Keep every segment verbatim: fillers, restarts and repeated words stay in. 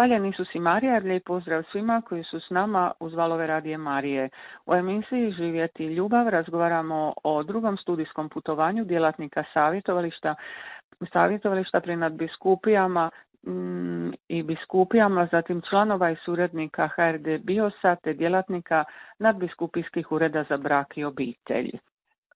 Hvaljen Isus i Marija, lijep pozdrav svima koji su s nama uz valove radije Marije. U emisiji Živjeti ljubav razgovaramo o drugom studijskom putovanju djelatnika savjetovališta, savjetovališta pri nadbiskupijama mm, i biskupijama, zatim članova i suradnika H R D BIOS-a te djelatnika nadbiskupijskih ureda za brak i obitelj.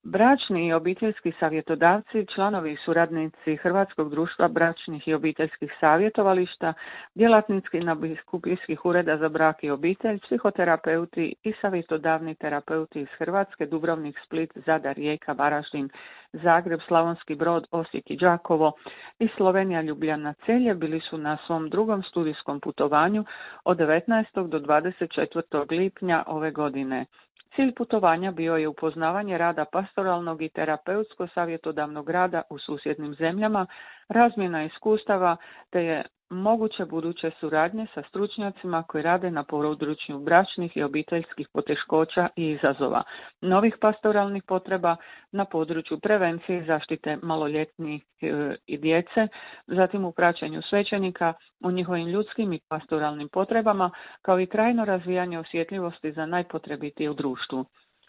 Bračni i obiteljski savjetodavci, članovi i suradnici Hrvatskog društva bračnih i obiteljskih savjetovališta, djelatnici nadbiskupijskih ureda za brak i obitelj, psihoterapeuti i savjetodavni terapeuti iz Hrvatske, Dubrovnik, Split, Zadar, Rijeka, Varaždin, Zagreb, Slavonski Brod, Osijek i Đakovo i Slovenija, Ljubljana, Celje bili su na svom drugom studijskom putovanju od devetnaestog do dvadeset četvrtog lipnja ove godine. Cilj putovanja bio je upoznavanje rada pastoralnog i terapeutsko-savjetodavnog rada u susjednim zemljama, razmjena iskustava te je moguće buduće suradnje sa stručnjacima koji rade na području bračnih i obiteljskih poteškoća i izazova, novih pastoralnih potreba na području prevencije i zaštite maloljetnih i djece, zatim u praćenju svećenika u njihovim ljudskim i pastoralnim potrebama, kao i trajno razvijanje osjetljivosti za najpotrebitije u društvu.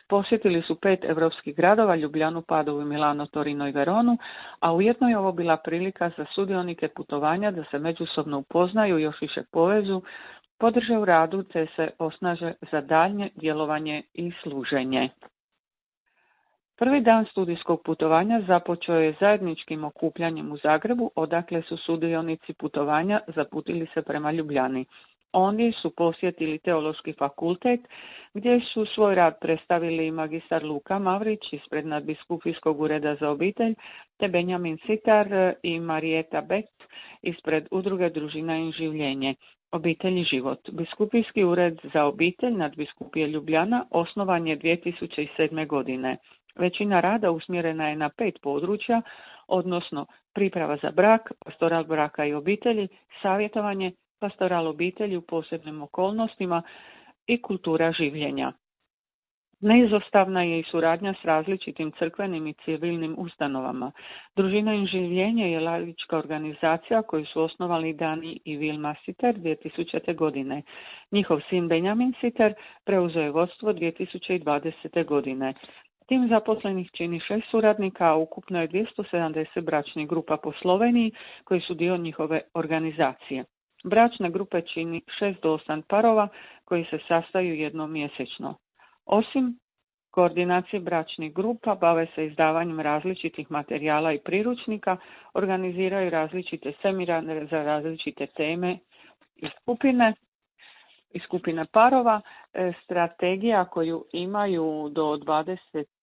Posjetili su pet europskih gradova, Ljubljanu, Padovu, Milano, Torino i Veronu, a ujedno je ovo bila prilika za sudionike putovanja da se međusobno upoznaju, još više povezu, podrže u radu te se osnaže za daljnje djelovanje i služenje. Prvi dan studijskog putovanja započeo je zajedničkim okupljanjem u Zagrebu, odakle su sudionici putovanja zaputili se prema Ljubljani. Oni su posjetili Teološki fakultet, gdje su svoj rad predstavili magistar Luka Mavrić ispred nadbiskupijskog ureda za obitelj, te Benjamin Sitar i Marijeta Beck ispred udruge Družina i življenje, Obitelj i život. Biskupijski ured za obitelj nadbiskupije Ljubljana osnovan je dvije tisuće sedme. godine. Većina rada usmjerena je na pet područja, odnosno priprava za brak, pastoral braka i obitelji, savjetovanje, pastoral obitelji u posebnim okolnostima i kultura življenja. Neizostavna je i suradnja s različitim crkvenim i civilnim ustanovama. Družina i življenje je laička organizacija koju su osnovali Dani i Vilma Siter dvije tisućite. godine. Njihov sin Benjamin Siter preuzeo je vodstvo dvije tisuće dvadesete. godine. Tim zaposlenih čini šest suradnika, a ukupno je dvjesto sedamdeset bračnih grupa po Sloveniji koji su dio njihove organizacije. Bračne grupe čini šest do osam parova koji se sastaju jednom mjesečno. Osim koordinacije bračnih grupa, bave se izdavanjem različitih materijala i priručnika, organiziraju različite seminare za različite teme i skupine, i skupine parova. Strategija koju imaju do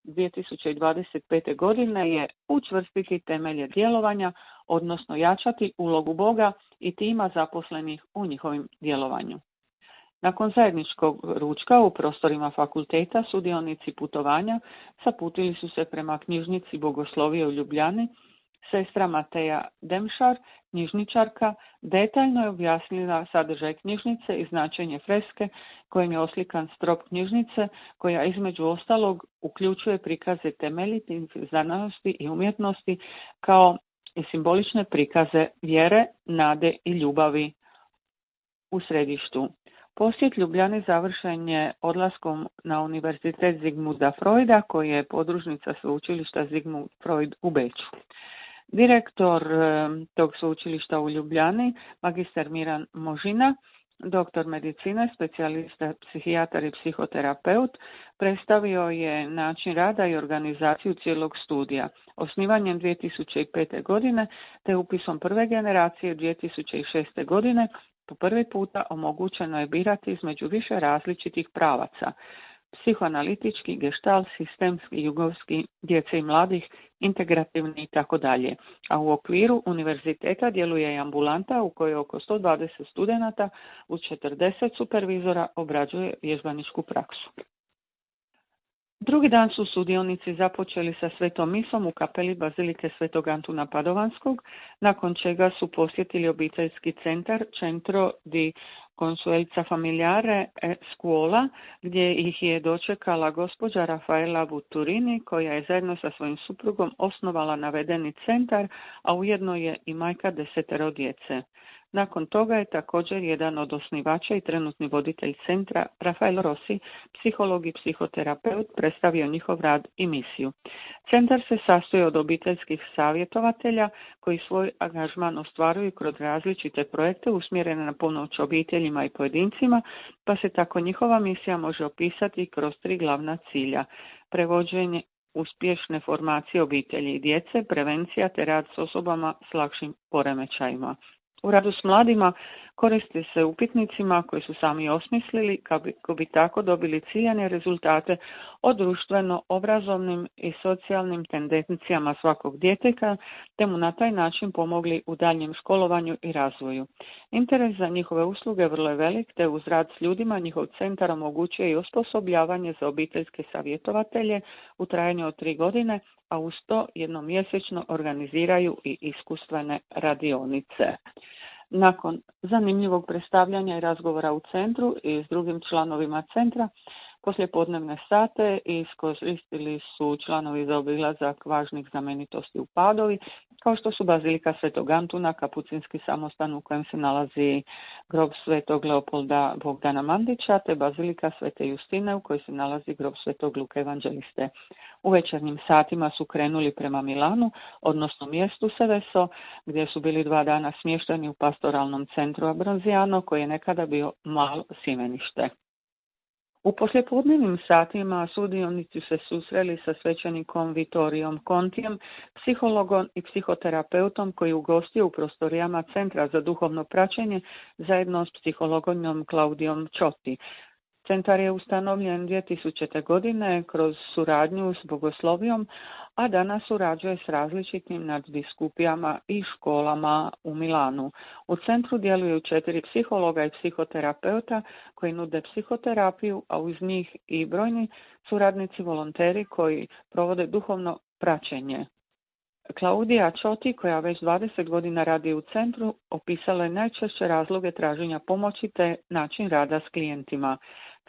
dvije tisuće dvadeset pete. godine je učvrstiti temelje djelovanja, odnosno jačati ulogu Boga i tima zaposlenih u njihovim djelovanju. Nakon zajedničkog ručka u prostorima fakulteta sudionici putovanja zaputili su se prema knjižnici Bogoslovije u Ljubljani. Sestra Mateja Demšar, knjižničarka, detaljno je objasnila sadržaj knjižnice i značenje freske kojim je oslikan strop knjižnice, koja između ostalog uključuje prikaze temeljitih znanosti i umjetnosti kao i simbolične prikaze vjere, nade i ljubavi u središtu. Posjet Ljubljani završen je odlaskom na Univerzitet Zigmunda Freuda, koji je podružnica sveučilišta Zigmund Freud u Beču. Direktor tog sveučilišta u Ljubljani, magister Miran Možina, doktor medicine, specijalista, psihijatar i psihoterapeut, predstavio je način rada i organizaciju cijelog studija. Osnivanjem dvije tisuće pete. godine te upisom prve generacije dvije tisuće šeste. godine po prvi puta omogućeno je birati između više različitih pravaca: psihoanalitički, gestalt, sistemski, jugovski, djece i mladih, integrativni i tako dalje. A u okviru univerziteta djeluje i ambulanta u kojoj oko sto dvadeset studenata uz četrdeset supervizora obrađuje vježbaničku praksu. Drugi dan su sudionici započeli sa svetom misom u kapeli Bazilike Svetog Antuna Padovanskog, nakon čega su posjetili obiteljski centar Centro di Consulenza Familiare e Scuola, gdje ih je dočekala gospođa Rafaela Buturini, koja je zajedno sa svojim suprugom osnovala navedeni centar, a ujedno je i majka desetero djece. Nakon toga je također jedan od osnivača i trenutni voditelj centra, Rafael Rossi, psiholog i psihoterapeut, predstavio njihov rad i misiju. Centar se sastoji od obiteljskih savjetovatelja koji svoj angažman ostvaruju kroz različite projekte usmjerene na pomoć obiteljima i pojedincima, pa se tako njihova misija može opisati kroz tri glavna cilja: prevođenje uspješne formacije obitelji i djece, prevencija te rad s osobama s lakšim poremećajima. U radu s mladima koriste se upitnicima koji su sami osmislili kako bi tako dobili ciljane rezultate o društveno-obrazovnim i socijalnim tendencijama svakog djeteta, te mu na taj način pomogli u daljnjem školovanju i razvoju. Interes za njihove usluge vrlo je velik, te uz rad s ljudima njihov centar omogućuje i osposobljavanje za obiteljske savjetovatelje u trajanju od tri godine, a uz to jednom mjesečno organiziraju i iskustvene radionice. Nakon zanimljivog predstavljanja i razgovora u centru i s drugim članovima centra, poslijepodnevne sate iskoristili su članovi za obilazak važnih znamenitosti u Padovi, kao što su Bazilika Svetog Antuna, kapucinski samostan u kojem se nalazi grob Svetog Leopolda Bogdana Mandića, te Bazilika Svete Justine u kojoj se nalazi grob Svetog Luke Evanđeliste. U večernjim satima su krenuli prema Milanu, odnosno mjestu Seveso, gdje su bili dva dana smješteni u pastoralnom centru Abronziano, koji je nekada bio malo sjemenište. U poslijepodnevnim satima sudionici se susreli sa svećenikom Vittorijom Contijem, psihologom i psihoterapeutom koji je ugostio u prostorijama Centra za duhovno praćenje zajedno s psihologom Claudijom Ciotti. Centar je ustanovljen dvije tisućite. godine kroz suradnju s Bogoslovijom, a danas surađuje s različitim nadbiskupijama i školama u Milanu. U centru djeluju četiri psihologa i psihoterapeuta koji nude psihoterapiju, a uz njih i brojni suradnici volonteri koji provode duhovno praćenje. Claudia Ciotti, koja već dvadeset godina radi u centru, opisala je najčešće razloge traženja pomoći te način rada s klijentima.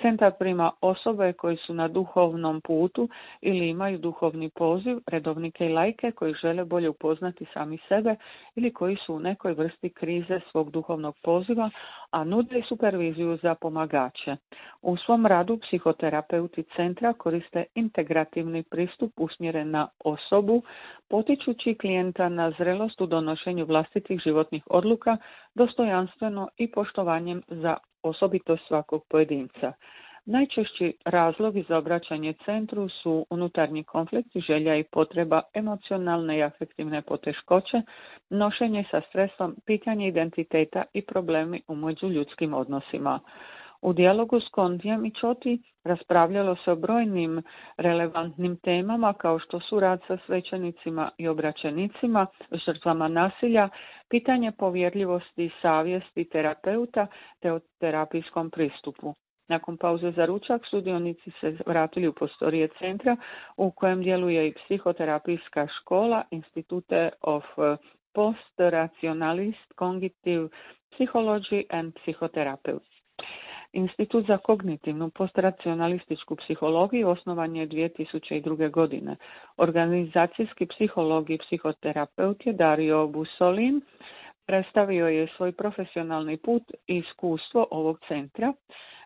Centar prima osobe koji su na duhovnom putu ili imaju duhovni poziv, redovnike i lajke koji žele bolje upoznati sami sebe ili koji su u nekoj vrsti krize svog duhovnog poziva, a nude superviziju za pomagače. U svom radu psihoterapeuti centra koriste integrativni pristup usmjeren na osobu, potičući klijenta na zrelost u donošenju vlastitih životnih odluka, dostojanstveno i poštovanjem za osobitost svakog pojedinca. Najčešći razlogi za obraćanje centru su unutarnji konflikti, želja i potreba, emocionalne i afektivne poteškoće, nošenje sa stresom, pitanje identiteta i problemi u međuljudskim odnosima. U dijalogu s Contijem i Ciotti raspravljalo se o brojnim relevantnim temama kao što su rad sa svećenicima i obraćenicima, žrtvama nasilja, pitanje povjerljivosti i savjesti terapeuta te o terapijskom pristupu. Nakon pauze za ručak sudionici se vratili u prostorije centra u kojem djeluje i psihoterapijska škola Institute of Post-Rationalist Cognitive Psychology and Psychotherapy. Institut za kognitivnu postracionalističku psihologiju osnovan je dvije tisuće druge. godine. Organizacijski psiholog i psihoterapeut je Dario Bussolin. Predstavio je svoj profesionalni put i iskustvo ovog centra.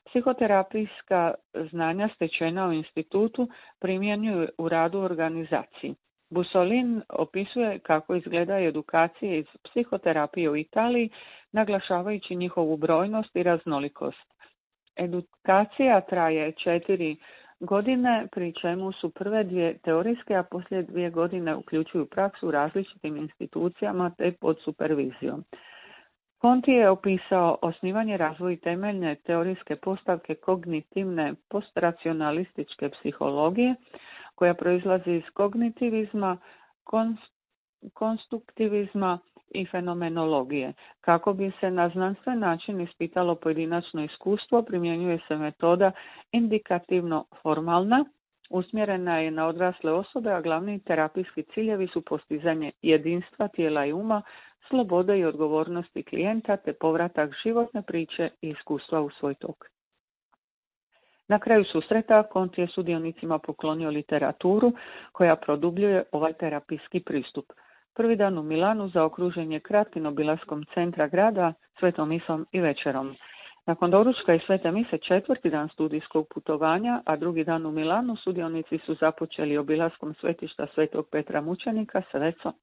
Psihoterapijska znanja stečena u institutu primjenjuju u radu organizaciji. Bussolin opisuje kako izgleda edukacije iz psihoterapije u Italiji, naglašavajući njihovu brojnost i raznolikost. Edukacija traje četiri godine, pri čemu su prve dvije teorijske, a poslije dvije godine uključuju praksu u različitim institucijama te pod supervizijom. Conti je opisao osnivanje, razvoj temeljne teorijske postavke kognitivne postracionalističke psihologije, koja proizlazi iz kognitivizma, konstruktivizma i fenomenologije. Kako bi se na znanstven način ispitalo pojedinačno iskustvo, primjenjuje se metoda indikativno-formalna, usmjerena je na odrasle osobe, a glavni terapijski ciljevi su postizanje jedinstva tijela i uma, slobode i odgovornosti klijenta te povratak životne priče i iskustva u svoj tok. Na kraju susreta Conti je sudionicima poklonio literaturu koja produbljuje ovaj terapijski pristup. Prvi dan u Milanu zaokružen je kratkim obilaskom centra grada, svetom misom i večerom. Nakon doručka i svete mise četvrti dan studijskog putovanja, a drugi dan u Milanu, sudionici su započeli obilaskom svetišta svetog Petra Mučenika sa vecom.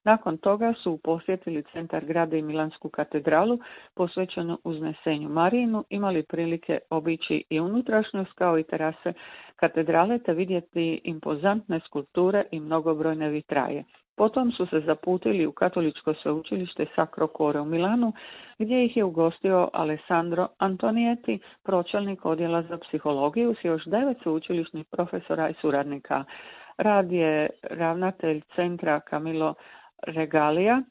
Nakon toga su posjetili centar grada i Milansku katedralu posvećenu uznesenju Marijinu, imali prilike obići i unutrašnjost kao i terase katedrale te vidjeti impozantne skulpture i mnogobrojne vitraje. Potom su se zaputili u katoličko sveučilište Sacro Cuore u Milanu, gdje ih je ugostio Alessandro Antonieti, pročelnik odjela za psihologiju s još devet sveučilišnih profesora i suradnika. Rad je ravnatelj centra Camillo Regalija.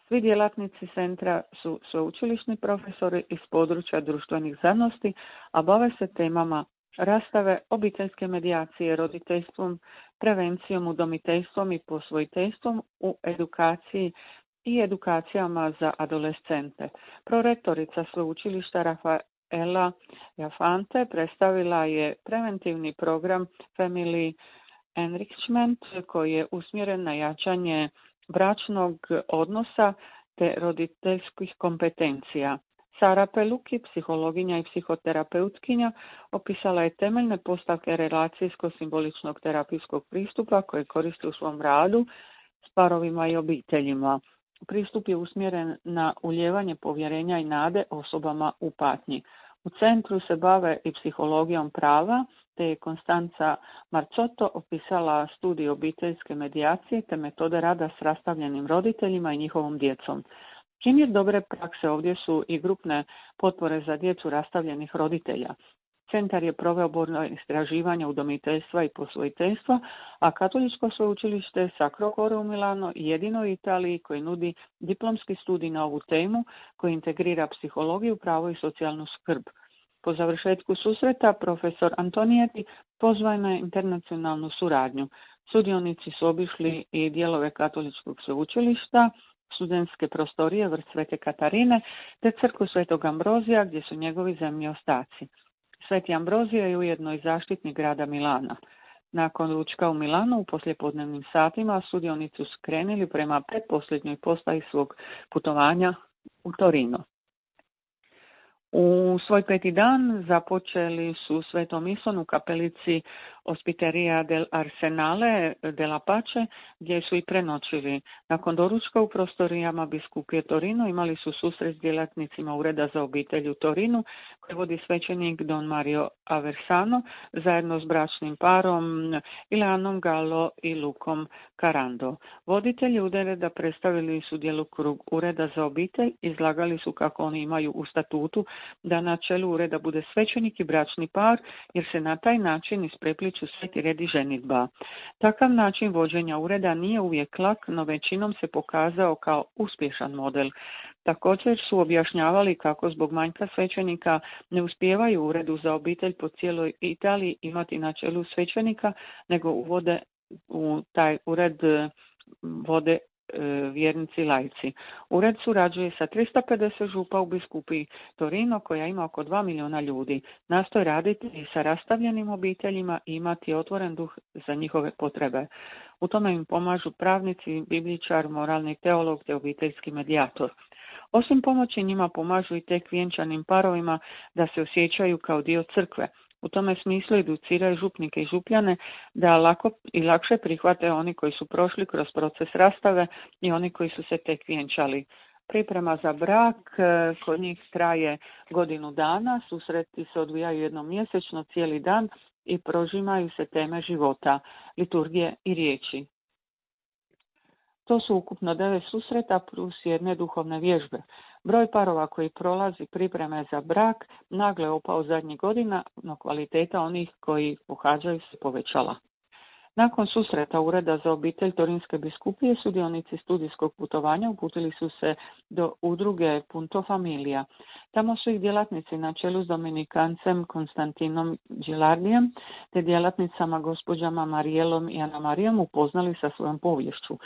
Svi djelatnici centra su sveučilišni profesori iz područja društvenih znanosti, a bave se temama rastave, obiteljske medijacije, roditeljstvom, prevencijom, udomiteljstvom i posvojiteljstvom u edukaciji i edukacijama za adolescente. Prorektorica sveučilišta Rafaela Jafante predstavila je preventivni program Family Enrichment koji je usmjeren na jačanje bračnog odnosa te roditeljskih kompetencija. Sara Peluki, psihologinja i psihoterapeutkinja, opisala je temeljne postavke relacijsko-simboličnog terapijskog pristupa koje koristi u svom radu s parovima i obiteljima. Pristup je usmjeren na ulijevanje povjerenja i nade osobama u patnji. U centru se bave i psihologijom prava, te je Konstanca Marcotto opisala studij obiteljske medijacije te metode rada s rastavljenim roditeljima i njihovom djecom. Primjer dobre prakse ovdje su i grupne potpore za djecu rastavljenih roditelja. Centar je proveo brojna istraživanja udomiteljstva i posvojiteljstva, a katoličko sveučilište Sacro Cuore u Milano jedino u Italiji koji nudi diplomski studij na ovu temu koji integrira psihologiju, pravo i socijalnu skrb. Po završetku susreta profesor Antonieti pozvao na internacionalnu suradnju. Sudionici su obišli i dijelove katoličkog sveučilišta, studentske prostorije vrt Svete Katarine te crkvu Svetog Ambrozija gdje su njegovi zemlji ostaci. Sveti Ambrozio je ujedno i zaštitnik grada Milana. Nakon ručka u Milanu u poslijepodnevnim satima sudionici su krenuli prema pretposljednjoj postaji svog putovanja u Torino. U svoj peti dan započeli su svetom misom u kapelici Ospiteria del Arsenale della Pace, gdje su i prenoćili. Nakon doručka u prostorijama biskupije Torino imali su susret s djelatnicima Ureda za obitelj u Torinu, koji vodi svećenik Don Mario Aversano, zajedno s bračnim parom Ileanom Gallo i Lukom Carando. Voditelji ureda predstavili su djelokrug Ureda za obitelj, izlagali su kako oni imaju u statutu da na čelu ureda bude svećenik i bračni par, jer se na taj način isprepliču sveti red i ženidba. Takav način vođenja ureda nije uvijek lak, no većinom se pokazao kao uspješan model. Također su objašnjavali kako zbog manjka svećenika ne uspijevaju u uredu za obitelj po cijeloj Italiji imati na čelu svećenika, nego uvode u taj ured vode vjernici laici. Ured surađuje sa tristo pedeset župa u biskupiji Torino koja ima oko dva milijuna ljudi. Nastoji raditi i sa rastavljenim obiteljima i imati otvoren duh za njihove potrebe. U tome im pomažu pravnici, bibličar, moralni teolog te obiteljski medijator. Osim pomoći njima pomažu i tek vjenčanim parovima da se osjećaju kao dio crkve. U tome smislu educiraju župnike i župljane da lako i lakše prihvate oni koji su prošli kroz proces rastave i oni koji su se tek vjenčali. Priprema za brak kod njih traje godinu dana, susreti se odvijaju jednom mjesečno cijeli dan i prožimaju se teme života, liturgije i riječi. To su ukupno devet susreta plus jedne duhovne vježbe. Broj parova koji prolazi pripreme za brak nagle opao zadnjih godina, no kvaliteta onih koji pohađaju se povećala. Nakon susreta Ureda za obitelj Torinske biskupije, sudionici studijskog putovanja uputili su se do udruge Punto Familia. Tamo su ih djelatnici na čelu s dominikancem Konstantinom Gilardijem te djelatnicama gospođama Marijelom i Ana Marijom upoznali sa svojom poviješću.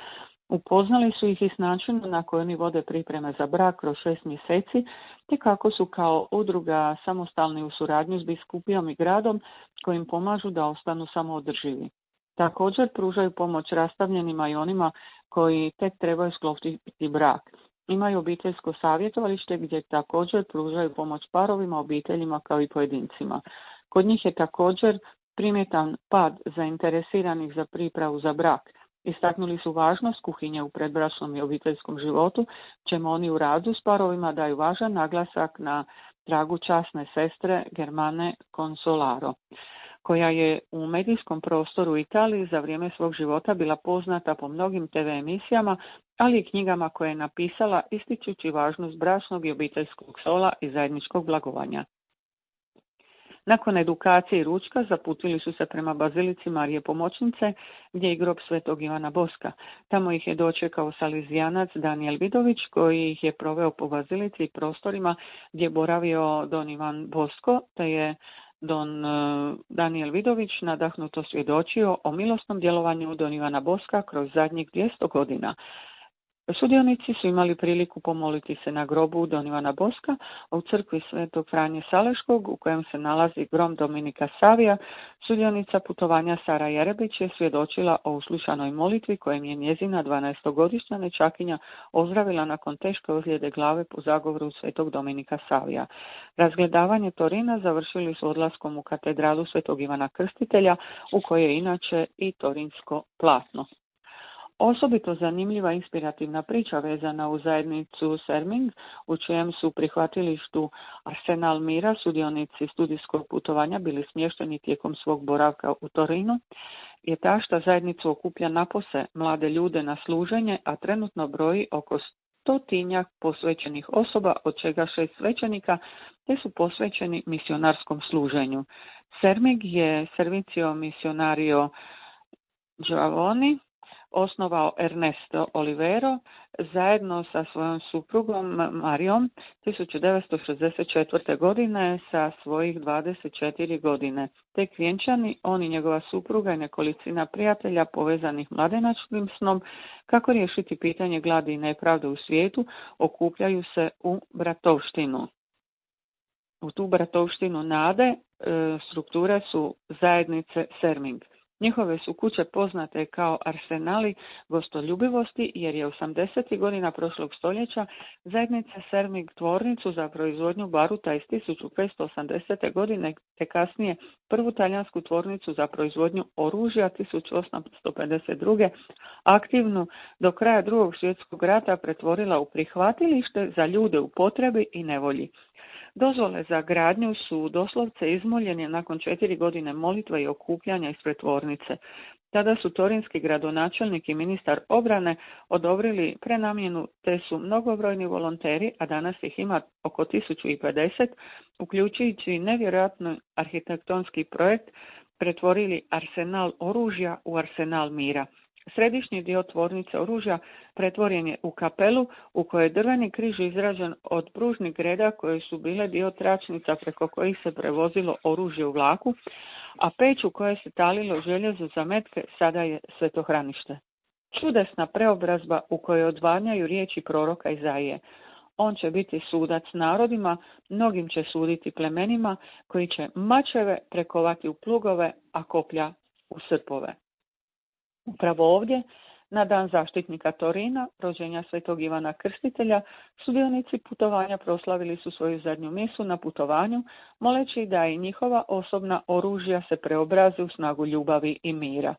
Upoznali su ih i s načinom na koji oni vode pripreme za brak kroz šest mjeseci, te kako su kao udruga samostalni u suradnju s biskupijom i gradom kojim pomažu da ostanu samoodrživi. Također pružaju pomoć rastavljenima i onima koji tek trebaju sklopiti brak. Imaju obiteljsko savjetovalište gdje također pružaju pomoć parovima, obiteljima kao i pojedincima. Kod njih je također primjetan pad zainteresiranih za pripravu za brak. Istaknuli su važnost kuhinje u predbračnom i obiteljskom životu, čemu oni u radu s parovima daju važan naglasak na tragu časne sestre Germane Consolaro, koja je u medijskom prostoru u Italiji za vrijeme svog života bila poznata po mnogim te ve emisijama, ali i knjigama koje je napisala ističući važnost bračnog i obiteljskog sola i zajedničkog blagovanja. Nakon edukacije i ručka zaputili su se prema bazilici Marije Pomoćnice, gdje je grob svetog Ivana Boska. Tamo ih je dočekao salezijanac Daniel Vidović, koji ih je proveo po bazilici i prostorima gdje je boravio don Ivan Bosko, te je don Daniel Vidović nadahnuto svjedočio o milosnom djelovanju don Ivana Boska kroz zadnjih dvjesto godina. Sudionici su imali priliku pomoliti se na grobu don Ivana Boska, a u crkvi svetog Franje Saleškog, u kojem se nalazi grom Dominika Savija, sudionica putovanja Sara Jerebić je svjedočila o uslušanoj molitvi kojem je njezina dvanaestogodišnja nečakinja ozdravila nakon teške ozljede glave po zagovoru svetog Dominika Savija. Razgledavanje Torina završili su odlaskom u katedralu svetog Ivana Krstitelja, u kojoj je inače i torinsko platno. Osobito zanimljiva inspirativna priča vezana u zajednicu Serming, u čijem su prihvatilištu Arsenal Mira sudionici studijskog putovanja bili smješteni tijekom svog boravka u Torinu, je ta što zajednicu okuplja napose mlade ljude na služenje, a trenutno broji oko stotinjak posvećenih osoba, od čega šest svećenika, te su posvećeni misionarskom služenju. Serming je Servicio Missionario Giovannoni osnovao Ernesto Olivero zajedno sa svojom suprugom Marijom tisuću devetsto šezdeset četvrte. godine sa svojih dvadeset četiri godine. Tek vjenčani, on i njegova supruga i nekolicina prijatelja povezanih mladenačkim snom kako riješiti pitanje gladi i nepravde u svijetu, okupljaju se u bratovštinu. U tu bratovštinu nade e, strukture su zajednice Serming. Njihove su kuće poznate kao arsenali gostoljubivosti, jer je osamdesetih godina prošlog stoljeća zajednica Serming tvornicu za proizvodnju baruta iz tisuću petsto osamdesete. godine, te kasnije prvu talijansku tvornicu za proizvodnju oružja tisuću osamsto pedeset druge. aktivnu do kraja drugog svjetskog rata pretvorila u prihvatilište za ljude u potrebi i nevolji. Dozvole za gradnju su doslovce izmoljene nakon četiri godine molitve i okupljanja ispred tvornice. Tada su torinski gradonačelnik i ministar obrane odobrili prenamjenu, te su mnogobrojni volonteri, a danas ih ima oko tisuću pedeset, uključujući nevjerojatno arhitektonski projekt, pretvorili arsenal oružja u arsenal mira. Središnji dio tvornice oružja pretvoren je u kapelu u kojoj je drveni križ izrađen od pružnih greda koje su bile dio tračnica preko kojih se prevozilo oružje u vlaku, a peć u kojoj se talilo željezo za metke sada je svetohranište. Čudesna preobrazba u kojoj odvanjaju riječi proroka Izaije. On će biti sudac narodima, mnogim će suditi plemenima, koji će mačeve prekovati u plugove, a koplja u srpove. Upravo ovdje, na dan zaštitnika Torina, rođenja svetog Ivana Krstitelja, sudionici putovanja proslavili su svoju zadnju misu na putovanju, moleći da i njihova osobna oružja se preobraze u snagu ljubavi i mira.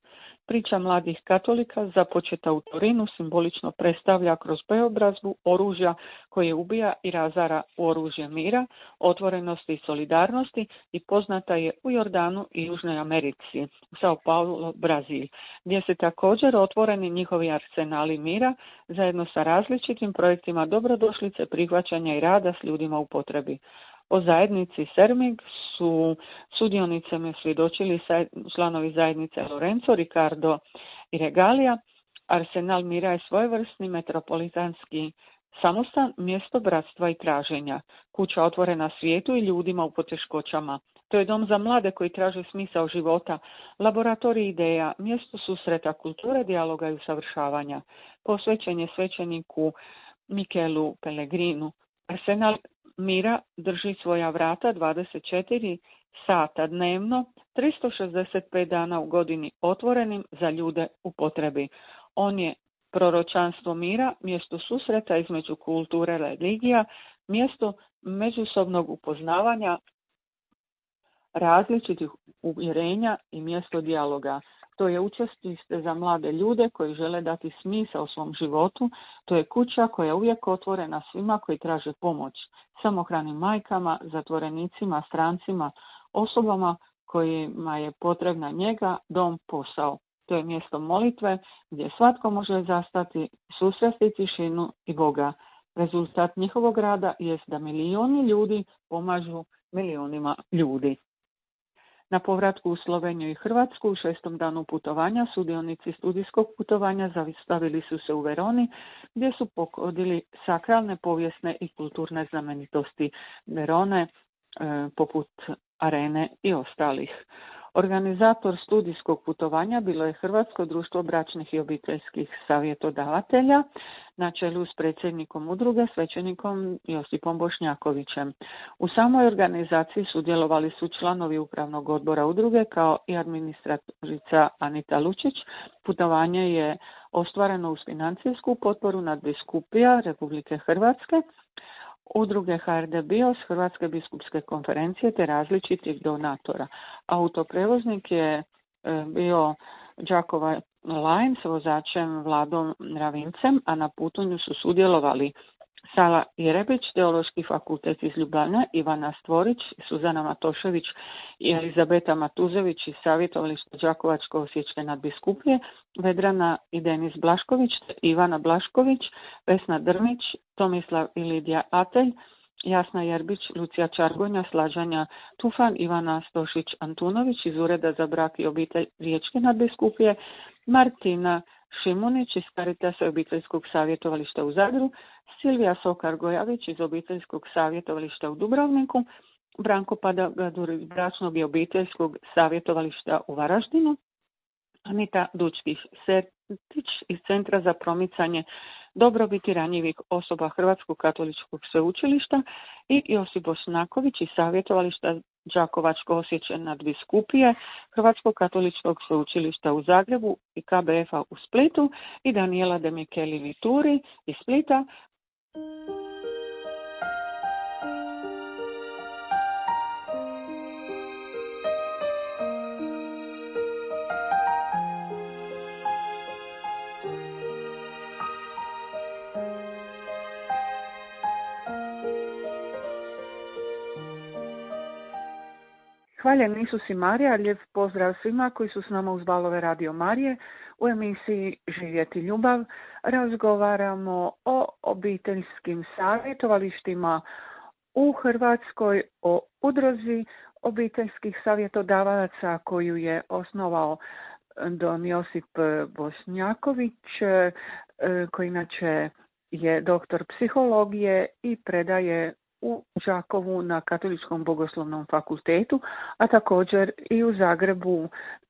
Priča mladih katolika započeta u Torinu simbolično predstavlja kroz preobrazbu oružja koje ubija i razara u oružje mira, otvorenosti i solidarnosti i poznata je u Jordanu i Južnoj Americi, u Sao Paulo, Brazil, gdje se također otvoreni njihovi arsenali mira zajedno sa različitim projektima dobrodošlice, prihvaćanja i rada s ljudima u potrebi. O zajednici Serming su sudionicama svjedočili članovi zajednice Lorenzo, Ricardo i Regalija. Arsenal mira je svojevrsni metropolitanski samostan, mjesto bratstva i traženja, kuća otvorena svijetu i ljudima u poteškoćama. To je dom za mlade koji traže smisao života, laboratorij ideja, mjesto susreta, kulture, dijaloga i usavršavanja. Posvećen je svećeniku Michelu Pellegrinu. Arsenal mira drži svoja vrata dvadeset četiri sata dnevno, tristo šezdeset pet dana u godini otvorenim za ljude u potrebi. On je proročanstvo mira, mjesto susreta između kulture i religija, mjesto međusobnog upoznavanja različitih uvjerenja i mjesto dijaloga. To je učestište za mlade ljude koji žele dati smisao svom životu. To je kuća koja je uvijek otvorena svima koji traže pomoć. Samohranim majkama, zatvorenicima, strancima, osobama kojima je potrebna njega, dom, posao. To je mjesto molitve gdje svatko može zastati, susresti tišinu i Boga. Rezultat njihovog rada jest da milijuni ljudi pomažu milijunima ljudi. Na povratku u Sloveniju i Hrvatsku u šestom danu putovanja sudionici studijskog putovanja zaustavili su se u Veroni gdje su pokodili sakralne, povijesne i kulturne znamenitosti Verone, e, poput Arene i ostalih. Organizator studijskog putovanja bilo je Hrvatsko društvo bračnih i obiteljskih savjetodavatelja na čelu s predsjednikom udruge, svećenikom Josipom Bošnjakovićem. U samoj organizaciji sudjelovali su članovi upravnog odbora udruge kao i administratorica Anita Lučić. Putovanje je ostvareno uz financijsku potporu nadbiskupija Republike Hrvatske, udruge H R D BIOS, Hrvatske biskupske konferencije te različitih donatora. Autoprevoznik je bio Đakova Line s vozačem Vladom Ravincem, a na putanju su sudjelovali Sala Jerebić, Teološki fakultet iz Ljubljane, Ivana Stvorić, Suzana Matošević i Elizabeta Matuzević iz savjetovališta Đakovačko-osječke nadbiskupije, Vedrana i Denis Blašković, Ivana Blašković, Vesna Drmić, Tomislav i Lidija Atelj, Jasna Jerbić, Lucija Čargonja, Slađanja Tufan, Ivana Stošić-Antunović iz Ureda za brak i obitelj Riječke nadbiskupije, Martina Šimunić iz Caritasa i obiteljskog savjetovališta u Zadru, Silvija Sokar-Gojavić iz obiteljskog savjetovališta u Dubrovniku, Branko Padagadur iz bračnog i obiteljskog savjetovališta u Varaždinu, Anita Dučkić iz Centra za promicanje dobrobiti ranjivih osoba Hrvatskog katoličkog sveučilišta i Josip Bošnjaković iz savjetovališta Đakovačko-osječke nadbiskupije Hrvatskog katoličkog sveučilišta u Zagrebu i K B F-a u Splitu i Daniela de Micheli Vituri iz Splita. Hvaljen Isus i Marija, lijep pozdrav svima koji su s nama uz valove Radio Marije. U emisiji Živjeti ljubav razgovaramo o obiteljskim savjetovalištima u Hrvatskoj, o udruzi obiteljskih savjetodavaca koju je osnovao don Josip Bošnjaković, koji inače je doktor psihologije i predaje u Đakovu na Katoličkom bogoslovnom fakultetu, a također i u Zagrebu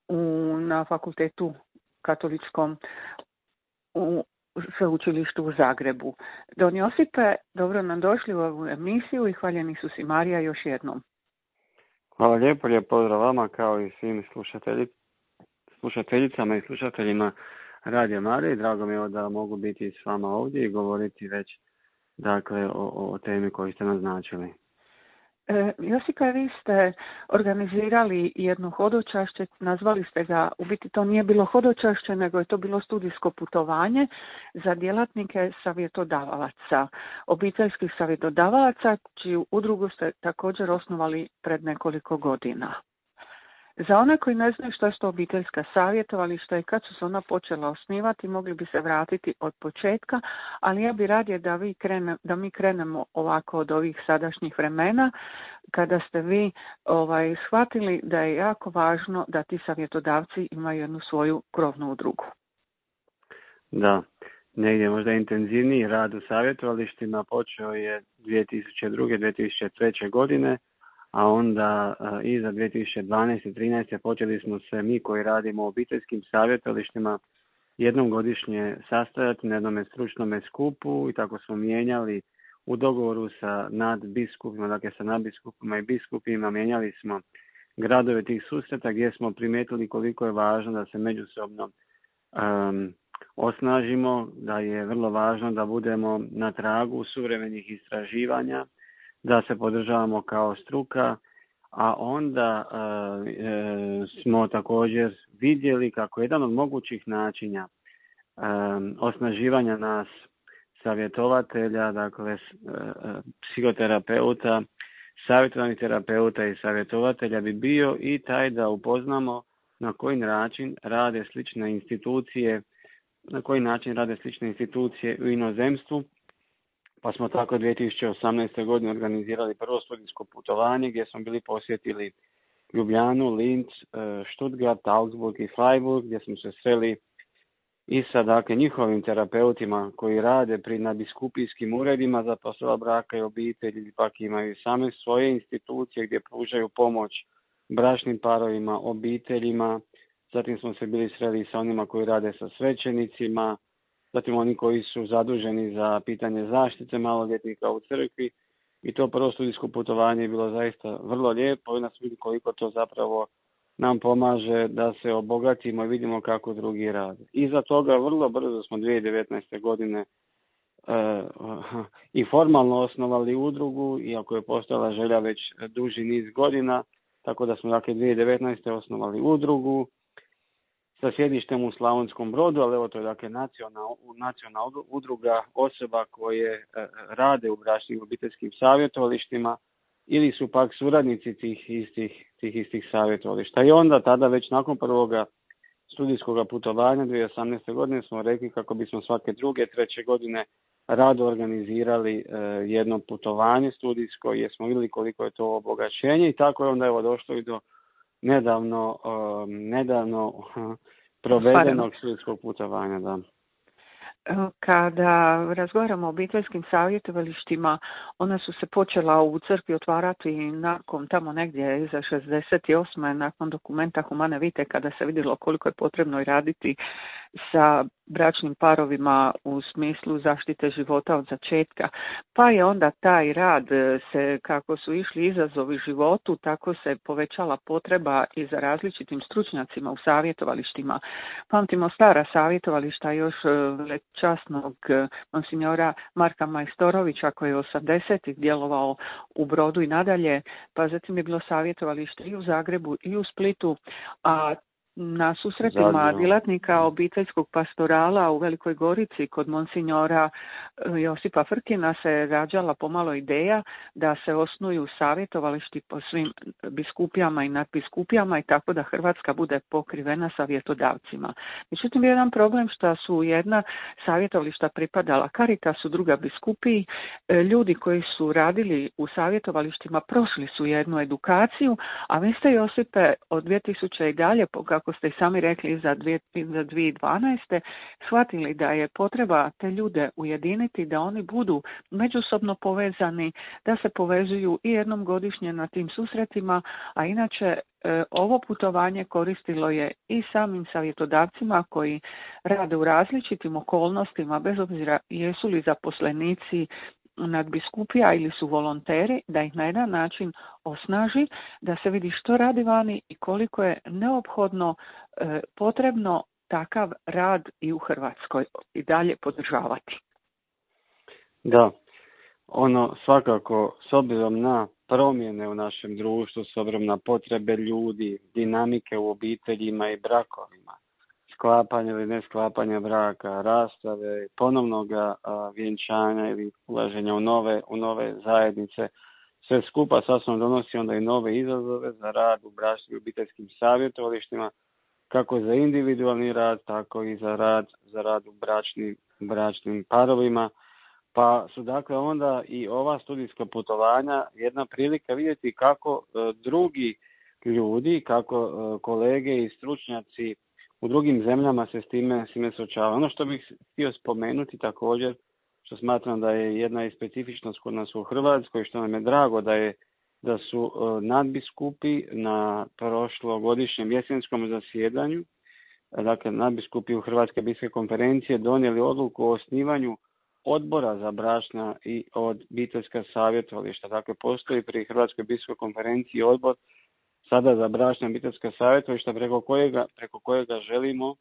u, na fakultetu katoličkom u sveučilištu u Zagrebu. Don Josipe, dobro nam došli u ovu emisiju i hvaljeni su si Marija još jednom. Hvala lijepo, lijep pozdrav vama kao i svim slušatelji, slušateljicama i slušateljima Radio Marije. Drago mi je da mogu biti s vama ovdje i govoriti već dakle o, o temi koju ste naznačili. E, Josipa, vi ste organizirali jedno hodočašće, nazvali ste ga, u biti to nije bilo hodočašće, nego je to bilo studijsko putovanje za djelatnike savjetodavaca, obiteljskih savjetodavaca, čiju udrugu ste također osnovali pred nekoliko godina. Za one koji ne znaju što su to obiteljska savjetovališta i kad su se ona počela osnivati, mogli bi se vratiti od početka, ali ja bi radije da, vi krene, da mi krenemo ovako od ovih sadašnjih vremena, kada ste vi ovaj, shvatili da je jako važno da ti savjetodavci imaju jednu svoju krovnu udrugu. Da, negdje možda intenzivniji rad u savjetovalištima počeo je dvije tisuće druge. dvije tisuće treće. godine, a onda a, i za dvije tisuće dvanaeste. i trinaeste. počeli smo se mi koji radimo u obiteljskim savjetovalištima jednom godišnje sastajati na jednom stručnom skupu i tako smo mijenjali u dogovoru sa nadbiskupima, dakle sa nadbiskupima i biskupima, mijenjali smo gradove tih susreta gdje smo primijetili koliko je važno da se međusobno um, osnažimo, da je vrlo važno da budemo na tragu suvremenih istraživanja, da se podržavamo kao struka, a onda uh, e, smo također vidjeli kako jedan od mogućih načina um, osnaživanja nas savjetovatelja, dakle uh, psihoterapeuta, savjetovanih terapeuta i savjetovatelja bi bio i taj da upoznamo na koji način rade slične institucije, na koji način rade slične institucije u inozemstvu. Pa smo tako dvije tisuće osamnaeste. godine organizirali prvo studijsko putovanje gdje smo bili posjetili Ljubljanu, Linz, Stuttgart, Augsburg i Freiburg, gdje smo se sreli i sa dakle, njihovim terapeutima koji rade pri nadbiskupijskim uredima za poslova braka i obitelji, ili pak imaju same svoje institucije gdje pružaju pomoć bračnim parovima, obiteljima. Zatim smo se bili sreli sa onima koji rade sa svećenicima, zatim oni koji su zaduženi za pitanje zaštite maloljetnika u crkvi. I to prvo studijsko putovanje je bilo zaista vrlo lijepo i nas vidi koliko to zapravo nam pomaže da se obogatimo i vidimo kako drugi rade. Iza toga vrlo brzo smo dvije tisuće devetnaeste. godine uh, i formalno osnovali udrugu, iako je postojala želja već duži niz godina, tako da smo dakle dvije tisuće devetnaeste. osnovali udrugu sa sjedištem u Slavonskom Brodu, ali evo to je dakle nacionalna, nacionalna udruga osoba koje uh, rade u bračnim obiteljskim savjetovalištima ili su pak suradnici tih istih, tih istih savjetovališta. I onda tada već nakon prvoga studijskog putovanja dvije tisuće osamnaeste. godine smo rekli kako bismo svake druge, treće godine rado organizirali e, jedno putovanje studijsko jer smo vidjeli koliko je to obogaćenje i tako je onda evo došlo i do nedavno, e, nedavno provedenog studijskog putovanja. Da. Kada razgovaramo o obiteljskim savjetovalištima, ona su se počela u crkvi otvarati nakon tamo negdje iza šezdeset osme. nakon dokumenta Humane Vitae, kada se vidjelo koliko je potrebno i raditi sa bračnim parovima u smislu zaštite života od začetka. Pa je onda taj rad se, kako su išli izazovi životu, tako se povećala potreba i za različitim stručnjacima u savjetovalištima. Pamtimo stara savjetovališta još časnog monsignora Marka Majstorovića koji je osamdesetih djelovao u Brodu i nadalje, pa zatim je bilo savjetovalište i u Zagrebu i u Splitu, a na susretima Zadnjo. djelatnika obiteljskog pastorala u Velikoj Gorici kod monsignora Josipa Frkina se rađala pomalo ideja da se osnuju savjetovališti po svim biskupijama i nadbiskupijama i tako da Hrvatska bude pokrivena savjetodavcima. Međutim, jedan problem što su jedna savjetovališta pripadala Caritasu, druga biskupiji. Ljudi koji su radili u savjetovalištima prošli su jednu edukaciju, a vi ste, Josipe, od dvije tisuće i dalje, kako ste i sami rekli, za dvije tisuće dvanaeste. shvatili da je potreba te ljude ujediniti, da oni budu međusobno povezani, da se povezuju i jednom godišnje na tim susretima, a inače e, ovo putovanje koristilo je i samim savjetodavcima koji rade u različitim okolnostima, bez obzira jesu li zaposlenici nadbiskupija ili su volonteri, da ih na jedan način osnaži, da se vidi što radi vani i koliko je neophodno e, potrebno takav rad i u Hrvatskoj i dalje podržavati. Da, ono svakako s obzirom na promjene u našem društvu, s obzirom na potrebe ljudi, dinamike u obiteljima i brakovima, sklapanja ili ne sklapanja braka, rastave, ponovnog vjenčanja ili ulaženja u nove, u nove zajednice, sve skupa sasvim donosi onda i nove izazove za rad u bračnim i obiteljskim savjetovalištima, kako za individualni rad, tako i za rad, za rad u bračnim, bračnim parovima. Pa su dakle onda i ova studijska putovanja jedna prilika vidjeti kako e, drugi ljudi, kako e, kolege i stručnjaci u drugim zemljama se s time, s time suočavaju. Ono što bih htio spomenuti također, što smatram da je jedna i specifičnost kod nas u Hrvatskoj, što nam je drago da je da su uh, nadbiskupi na prošlogodišnjem jesenskom zasjedanju, dakle nadbiskupi u Hrvatske biskupske konferencije donijeli odluku o osnivanju odbora za bračna i obiteljska savjetovališta. Dakle, postoji pri Hrvatskoj biskupskoj konferenciji odbor sada za bračna i obiteljska savjetovališta preko kojega, preko kojega želimo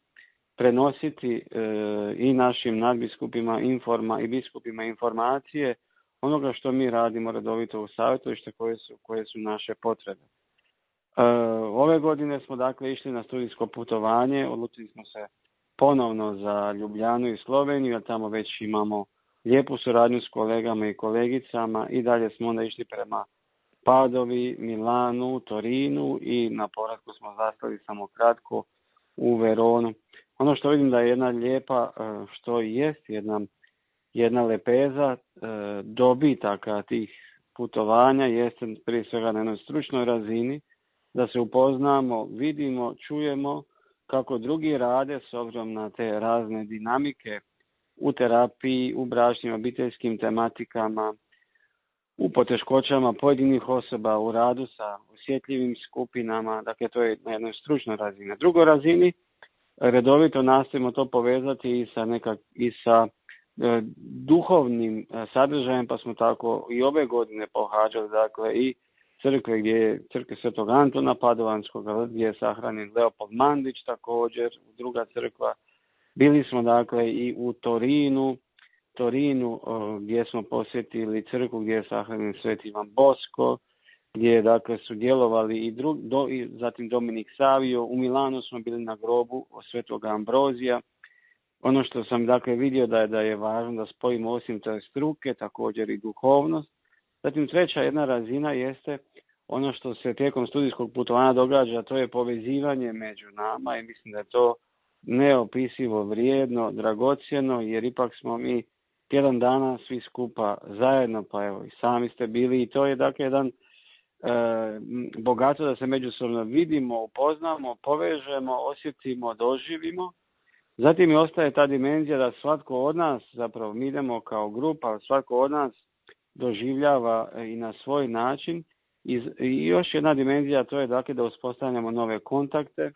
prenositi e, i našim nadbiskupima informa i biskupima informacije onoga što mi radimo redovito u savjetovalištu, koje su, koje su naše potrebe. E, ove godine smo dakle išli na studijsko putovanje, odlučili smo se ponovno za Ljubljanu i Sloveniju, jer tamo već imamo lijepu suradnju s kolegama i kolegicama, i dalje smo onda išli prema Padovi, Milanu, Torinu i na povratku smo zastali samo kratko u Veronu. Ono što vidim da je jedna lijepa, što jest jedna, jedna lepeza dobitaka tih putovanja, jeste prije svega na jednoj stručnoj razini, da se upoznamo, vidimo, čujemo kako drugi rade s obzirom na te razne dinamike u terapiji, u bračnim obiteljskim tematikama, u poteškoćama pojedinih osoba, u radu sa osjetljivim skupinama. Dakle, to je na jednoj stručnoj razini. Na drugoj razini redovito nastojimo to povezati i sa, nekak, i sa e, duhovnim e, sadržajem, pa smo tako i ove godine pohađali, dakle, i crkve gdje je crkve Svetog Antona Padovanskog, gdje je sahranjen Leopold Mandić, također druga crkva. Bili smo dakle i u Torinu, Torinu gdje smo posjetili crkvu gdje je sahranjen Sveti Ivan Bosko, gdje je dakle sudjelovali i, drug, do, i zatim Dominik Savio. U Milanu smo bili na grobu Svetog Ambrozija. Ono što sam dakle vidio da je, da je važno da spojimo osim te struke, također i duhovnost. Zatim treća jedna razina jeste ono što se tijekom studijskog putovanja događa, to je povezivanje među nama, i mislim da je to neopisivo vrijedno, dragocjeno, jer ipak smo mi tjedan dana svi skupa zajedno, pa evo i sami ste bili, i to je dakle jedan e, bogato da se međusobno vidimo, upoznamo, povežemo, osjetimo, doživimo. Zatim i ostaje ta dimenzija da svatko od nas, zapravo mi idemo kao grupa, svatko od nas doživljava i na svoj način. I još jedna dimenzija, to je dakle da uspostavljamo nove kontakte,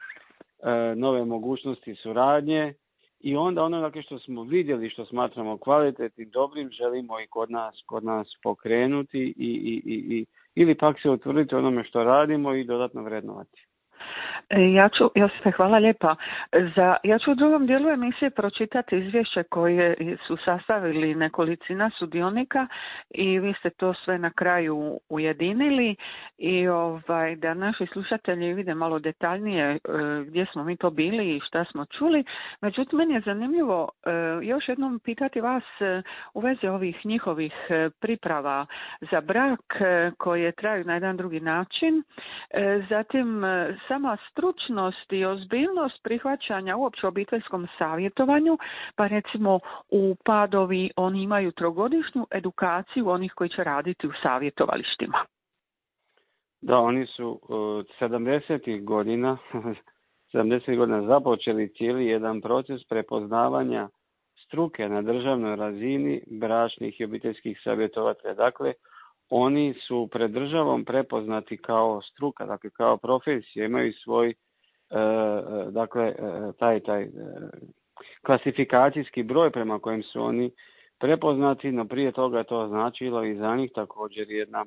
nove mogućnosti suradnje, i onda ono dakle što smo vidjeli, što smatramo kvalitetnim, dobrim, želimo i kod nas, kod nas pokrenuti i, i, i, i, ili pak se utvrditi onome što radimo i dodatno vrednovati. Ja ću, Josipe, hvala lijepa. Za, ja ću u drugom dijelu emisije pročitati izvješće koje su sastavili nekolicina sudionika i vi ste to sve na kraju ujedinili, i ovaj, da naši slušatelji vide malo detaljnije gdje smo mi to bili i šta smo čuli. Međutim, meni je zanimljivo još jednom pitati vas u vezi ovih njihovih priprava za brak koje traju na jedan drugi način. Zatim, sama stručnost i ozbiljnost prihvaćanja uopće obiteljskom savjetovanju, pa recimo u Padovi oni imaju trogodišnju edukaciju onih koji će raditi u savjetovalištima. Da, oni su od sedamdesetih godina, sedamdesetih godina započeli cijeli jedan proces prepoznavanja struke na državnoj razini bračnih i obiteljskih savjetovatelja. Dakle, oni su pred državom prepoznati kao struka, dakle kao profesija, imaju svoj e, dakle taj taj e, klasifikacijski broj prema kojem su oni prepoznati, no prije toga je to značilo i za njih također jedna e,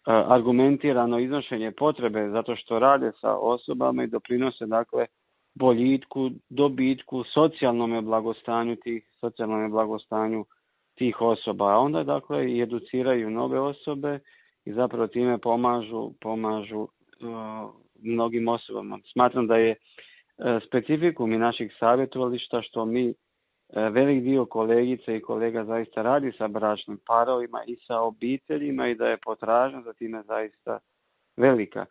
argumentirano iznošenje potrebe, zato što rade sa osobama i doprinose dakle boljitku, dobitku, socijalnome blagostanju tih, socijalnome blagostanju tih osoba, a onda dakle i educiraju nove osobe i zapravo time pomažu, pomažu uh, mnogim osobama. Smatram da je uh, specifikum i naših savjetovališta što mi uh, velik dio kolegice i kolega zaista radi sa bračnim parovima i sa obiteljima, i da je potražnja za time zaista velika.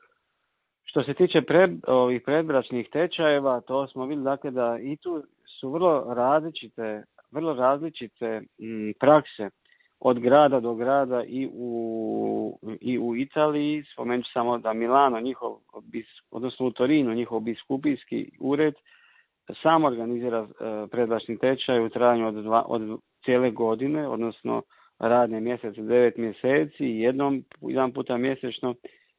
Što se tiče pred, ovih predbračnih tečajeva, to smo vidjeli dakle da i tu su vrlo različite vrlo različite m, prakse od grada do grada i u, i u Italiji. Spomenut ću samo da Milano, njihov, odnosno u Torinu, njihov biskupijski ured sam organizira uh, predbračni tečaj u trajanju od, dva, od cijele godine, odnosno radne mjesece, devet mjeseci, jednom, jedan puta mjesečno,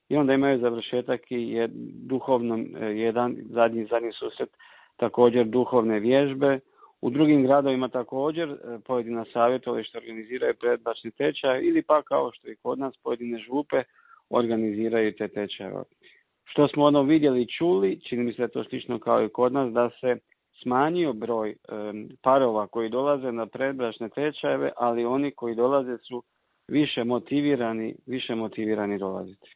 i onda imaju završetak i jed, duhovno, jedan zadnji, zadnji susret, također duhovne vježbe. U drugim gradovima također pojedina savjetovališta organiziraju predbračni tečaj ili pa kao što i kod nas pojedine župe organiziraju te tečajeve. Što smo ono vidjeli i čuli, čini mi se da je to slično kao i kod nas, da se smanjio broj e, parova koji dolaze na predbračne tečajeve, ali oni koji dolaze su više motivirani, više motivirani dolaziti.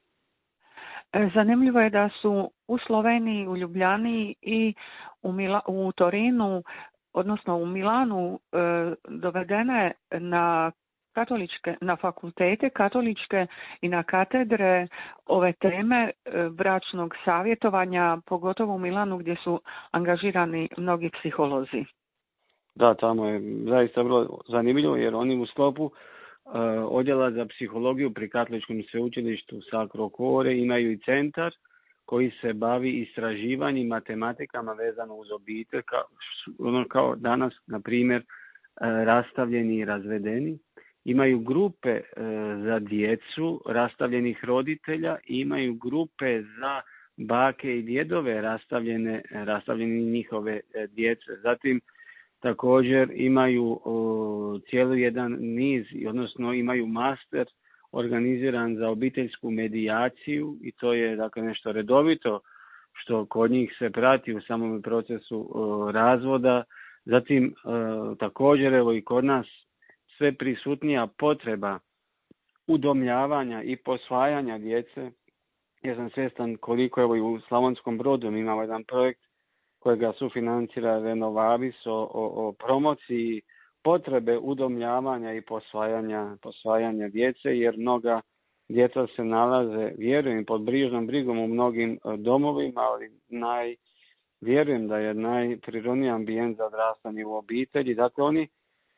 Zanimljivo je da su u Sloveniji, u Ljubljani i u, Mila, u Torinu, odnosno u Milanu, e, dovedene na katoličke, na fakultete katoličke i na katedre ove teme e, bračnog savjetovanja, pogotovo u Milanu gdje su angažirani mnogi psiholozi. Da, tamo je zaista vrlo zanimljivo jer oni u sklopu odjela za psihologiju pri Katoličkom sveučilištu Sacro Cuore imaju i centar koji se bavi istraživanjem matematikama vezano uz obitelj, kao, ono kao danas, na primjer, rastavljeni i razvedeni. Imaju grupe za djecu rastavljenih roditelja i imaju grupe za bake i djedove rastavljene, rastavljene njihove djece. Zatim također imaju o, cijeli jedan niz, odnosno imaju master organiziran za obiteljsku medijaciju i to je dakle nešto redovito što kod njih se prati u samom procesu o, razvoda. Zatim o, također evo i kod nas sve prisutnija potreba udomljavanja i posvajanja djece. Ja sam svjestan koliko evo i u Slavonskom Brodu imamo jedan projekt kojega sufinancira Renovavis o, o, o promociji potrebe udomljavanja i posvajanja, posvajanja djece, jer mnoga djeca se nalaze, vjerujem, pod brižnom brigom u mnogim domovima, ali naj, vjerujem da je najprirodniji ambijent za odrastanje u obitelji. Dakle, oni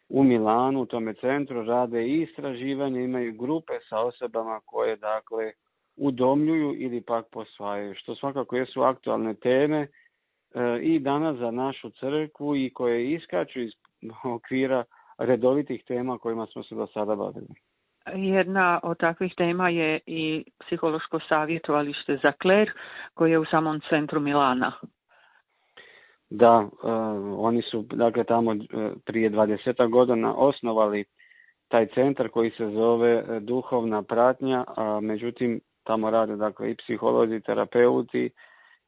u Milanu, u tome centru, rade i istraživanje, imaju grupe sa osobama koje, dakle, udomljuju ili pak posvajaju, što svakako jesu aktualne teme i danas za našu crkvu i koje iskaču iz okvira redovitih tema kojima smo se do sada bavili. Jedna od takvih tema je i psihološko savjetovalište za kler koje je u samom centru Milana. Da, uh, oni su dakle tamo uh, prije dvadesetak godina osnovali taj centar koji se zove Duhovna pratnja, a međutim tamo rade dakle i psiholozi, terapeuti,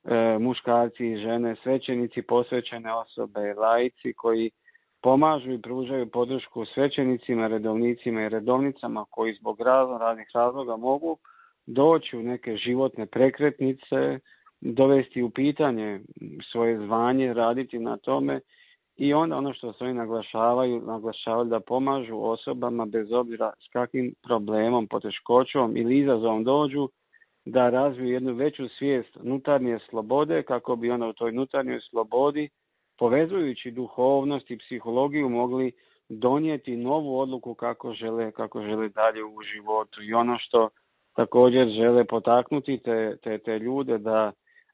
E, muškarci i žene, svećenici, posvećene osobe, laici koji pomažu i pružaju podršku svećenicima, redovnicima i redovnicama koji zbog raznih razloga mogu doći u neke životne prekretnice, dovesti u pitanje svoje zvanje, raditi na tome i onda ono što se oni naglašavaju, naglašavaju da pomažu osobama bez obzira s kakvim problemom, poteškoćom ili izazovom dođu, da razviju jednu veću svijest unutarnje slobode kako bi onda u toj unutarnjoj slobodi, povezujući duhovnost i psihologiju, mogli donijeti novu odluku kako žele, kako žele dalje u životu. I ono što također žele potaknuti te, te, te ljude da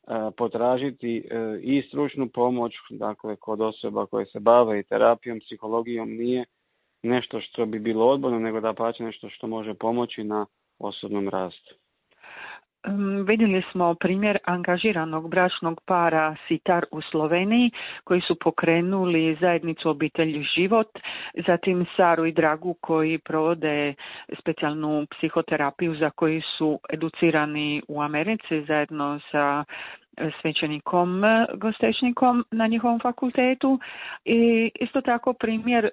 a, potražiti a, i stručnu pomoć, dakle kod osoba koje se bave i terapijom, psihologijom, nije nešto što bi bilo odborno, nego da pače nešto što može pomoći na osobnom rastu. Vidjeli smo primjer angažiranog bračnog para Sitar u Sloveniji koji su pokrenuli zajednicu Obitelj život, zatim Saru i Dragu koji provode specijalnu psihoterapiju za koji su educirani u Americi zajedno sa svećenikom Gostečnikom na njihovom fakultetu i isto tako primjer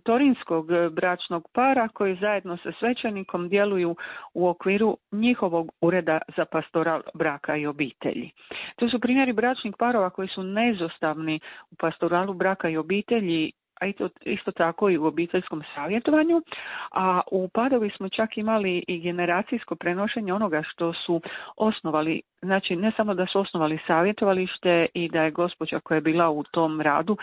torinskog bračnog para koji zajedno sa svećenikom djeluju u okviru njihovog ureda za pastoral braka i obitelji. To su primjeri bračnih parova koji su neizostavni u pastoralu braka i obitelji, a isto tako i u obiteljskom savjetovanju, a u Padovi smo čak imali i generacijsko prenošenje onoga što su osnovali, znači ne samo da su osnovali savjetovalište i da je gospođa koja je bila u tom radu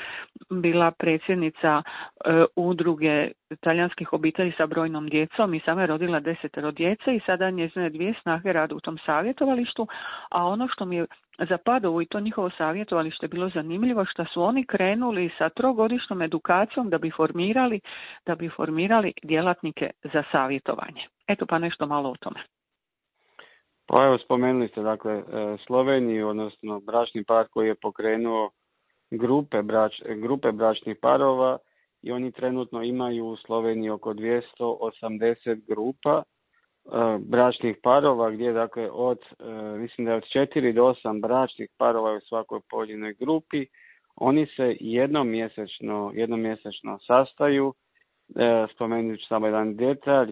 bila predsjednica e, udruge talijanskih obitelji sa brojnom djecom i sama je rodila desetero djece i sada njezine dvije snage rade u tom savjetovalištu, a ono što mi je za Padovu i to njihovo savjetovalište bilo zanimljivo što su oni krenuli sa trogodišnjom edukacijom da bi formirali, da bi formirali djelatnike za savjetovanje. Eto pa nešto malo o tome. Pa evo spomenuli ste dakle Sloveniju, odnosno bračni par koji je pokrenuo grupe, brač, grupe bračnih parova i oni trenutno imaju u Sloveniji oko dvjesto osamdeset grupa bračnih parova gdje dakle od mislim da je od četiri do osam bračnih parova u svakoj pojedinoj grupi. Oni se jednom mjesečno, jednom mjesečno sastaju. Spomenut ću samo jedan detalj,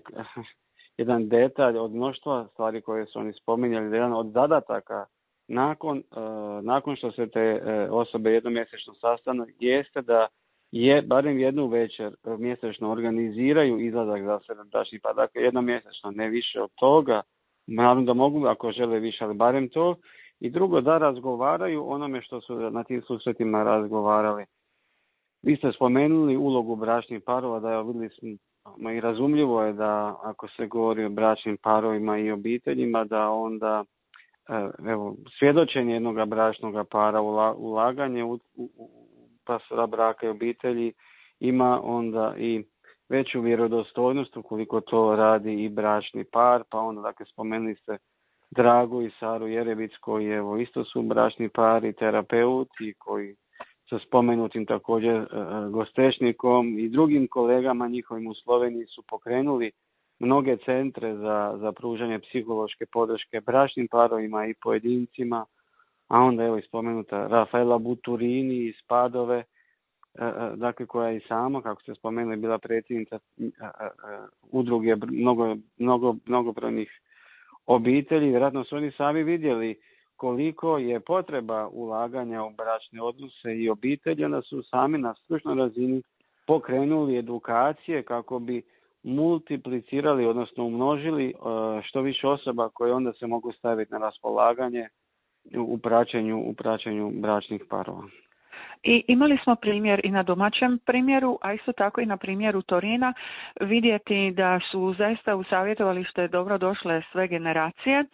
jedan detalj od mnoštva stvari koje su oni spominjali, da jedan od zadataka nakon, nakon što se te osobe jednom mjesečno sastanu jeste da je barem jednu večer mjesečno organiziraju izlazak za sebe bračnih par, dakle jednom mjesečno, ne više od toga, naravno da mogu ako žele više, ali barem to. I drugo, da razgovaraju onome što su na tim susretima razgovarali. Vi ste spomenuli ulogu bračnih parova, da je vidjeli smo i razumljivo je da ako se govori o bračnim parovima i obiteljima, da onda evo, svjedočenje jednog bračnog para, ulaganje u, u, u pastora braka i obitelji ima onda i veću vjerodostojnost ukoliko to radi i bračni par, pa onda dakle spomenuli ste Dragu i Saru Jerebic koji evo isto su bračni par i terapeuti koji sa spomenutim također e, gostešnikom i drugim kolegama njihovim u Sloveniji su pokrenuli mnoge centre za, za pružanje psihološke podrške bračnim parovima i pojedincima, a onda evo i spomenuta Rafaela Buturini iz Padove, dakle koja je i sama, kako ste spomenuli, bila predsjednica udruge mnogo, mnogo, mnogobrojnih obitelji. Vjerojatno su oni sami vidjeli koliko je potreba ulaganja u bračne odnose i obitelji, onda su sami na stručnoj razini pokrenuli edukacije kako bi multiplicirali, odnosno umnožili što više osoba koje onda se mogu staviti na raspolaganje u praćenju, u praćenju bračnih parova. I imali smo primjer i na domaćem primjeru, a isto tako i na primjeru Torina, vidjeti da su zaista u savjetovalište dobro došle sve generacije.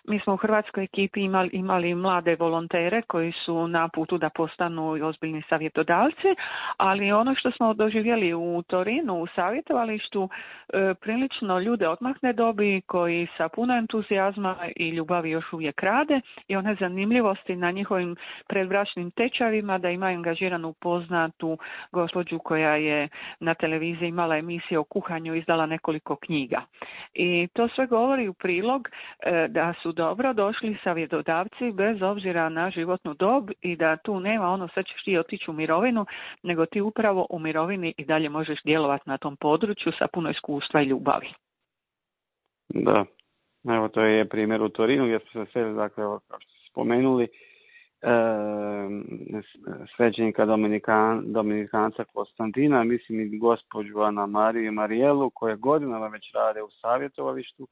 Mi smo u hrvatskoj ekipi imali, imali mlade volontere koji su na putu da postanu ozbiljni savjetodavci, ali ono što smo doživjeli u Torinu u savjetovalištu, e, prilično ljude odmahne dobi koji sa puno entuzijazma i ljubavi još uvijek rade i one zanimljivosti na njihovim predbračnim tečajevima da imaju angažiranu poznatu gospođu koja je na televiziji imala emisije o kuhanju, izdala nekoliko knjiga. I to sve govori u prilog e, da su dobro došli savjetodavci bez obzira na životnu dob i da tu nema ono sad ćeš ti otići u mirovinu, nego ti upravo u mirovini i dalje možeš djelovati na tom području sa puno iskustva i ljubavi. Da, evo to je primjer u Torinu gdje smo se sve, dakle, kao što ste spomenuli, E, svećenika Dominikan, Dominikanca Konstantina, mislim i gospođu Ana Mariju i Marijelu koje godinama već rade u savjetovalištu,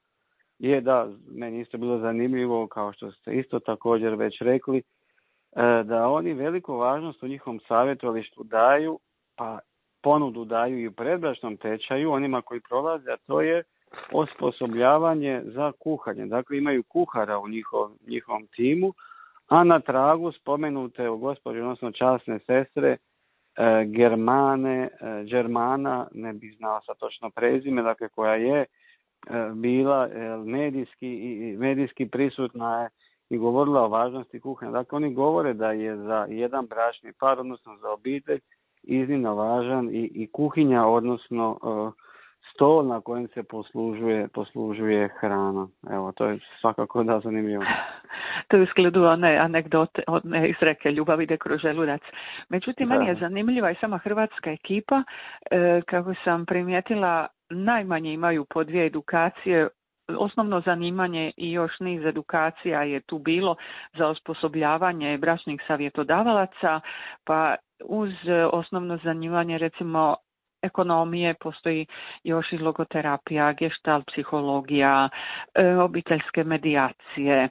je da meni isto bilo zanimljivo, kao što ste isto također već rekli, e, da oni veliku važnost u njihovom savjetovalištu daju, pa ponudu daju i u predbračnom tečaju onima koji prolaze, a to je osposobljavanje za kuhanje. Dakle, imaju kuhara u njihov, njihovom timu, a na tragu spomenute u gospođe, odnosno časne sestre, e, Germane, e, Germana, ne bih znao sa točno prezime, dakle koja je e, bila e, medijski, i, medijski prisutna je i govorila o važnosti kuhanja. Dakle, oni govore da je za jedan bračni par, odnosno za obitelj, iznimno važan i, i kuhinja, odnosno e, stol na kojem se poslužuje, poslužuje hrana. Evo, to je svakako da zanimljivo. To je u sklopu one anegdote, one izreke ljubav ide kroz želudac. Međutim, da. Meni je zanimljiva i sama hrvatska ekipa. E, kako sam primijetila, najmanje imaju po dvije edukacije. Osnovno zanimanje i još niz edukacija je tu bilo za osposobljavanje bračnih savjetodavalaca, pa uz osnovno zanimanje recimo ekonomije postoji još i logoterapija, gestalt psihologija, e, obiteljske medijacije,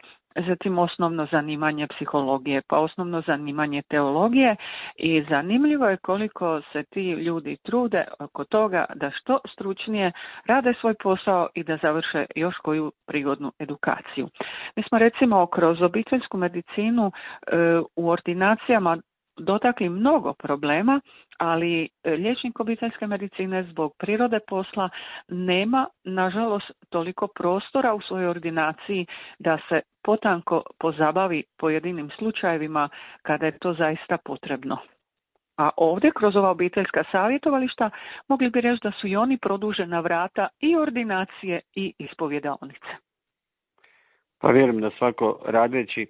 zatim osnovno zanimanje psihologije, pa osnovno zanimanje teologije i zanimljivo je koliko se ti ljudi trude oko toga da što stručnije rade svoj posao i da završe još koju prigodnu edukaciju. Mi smo recimo kroz obiteljsku medicinu e, u ordinacijama dotakli mnogo problema, ali liječnik obiteljske medicine zbog prirode posla nema, nažalost, toliko prostora u svojoj ordinaciji da se potanko pozabavi pojedinim slučajevima kada je to zaista potrebno. A ovdje, kroz ova obiteljska savjetovališta, mogli bi reći da su i oni produžena vrata i ordinacije i ispovjedaonice. Pa vjerujem da svako radeći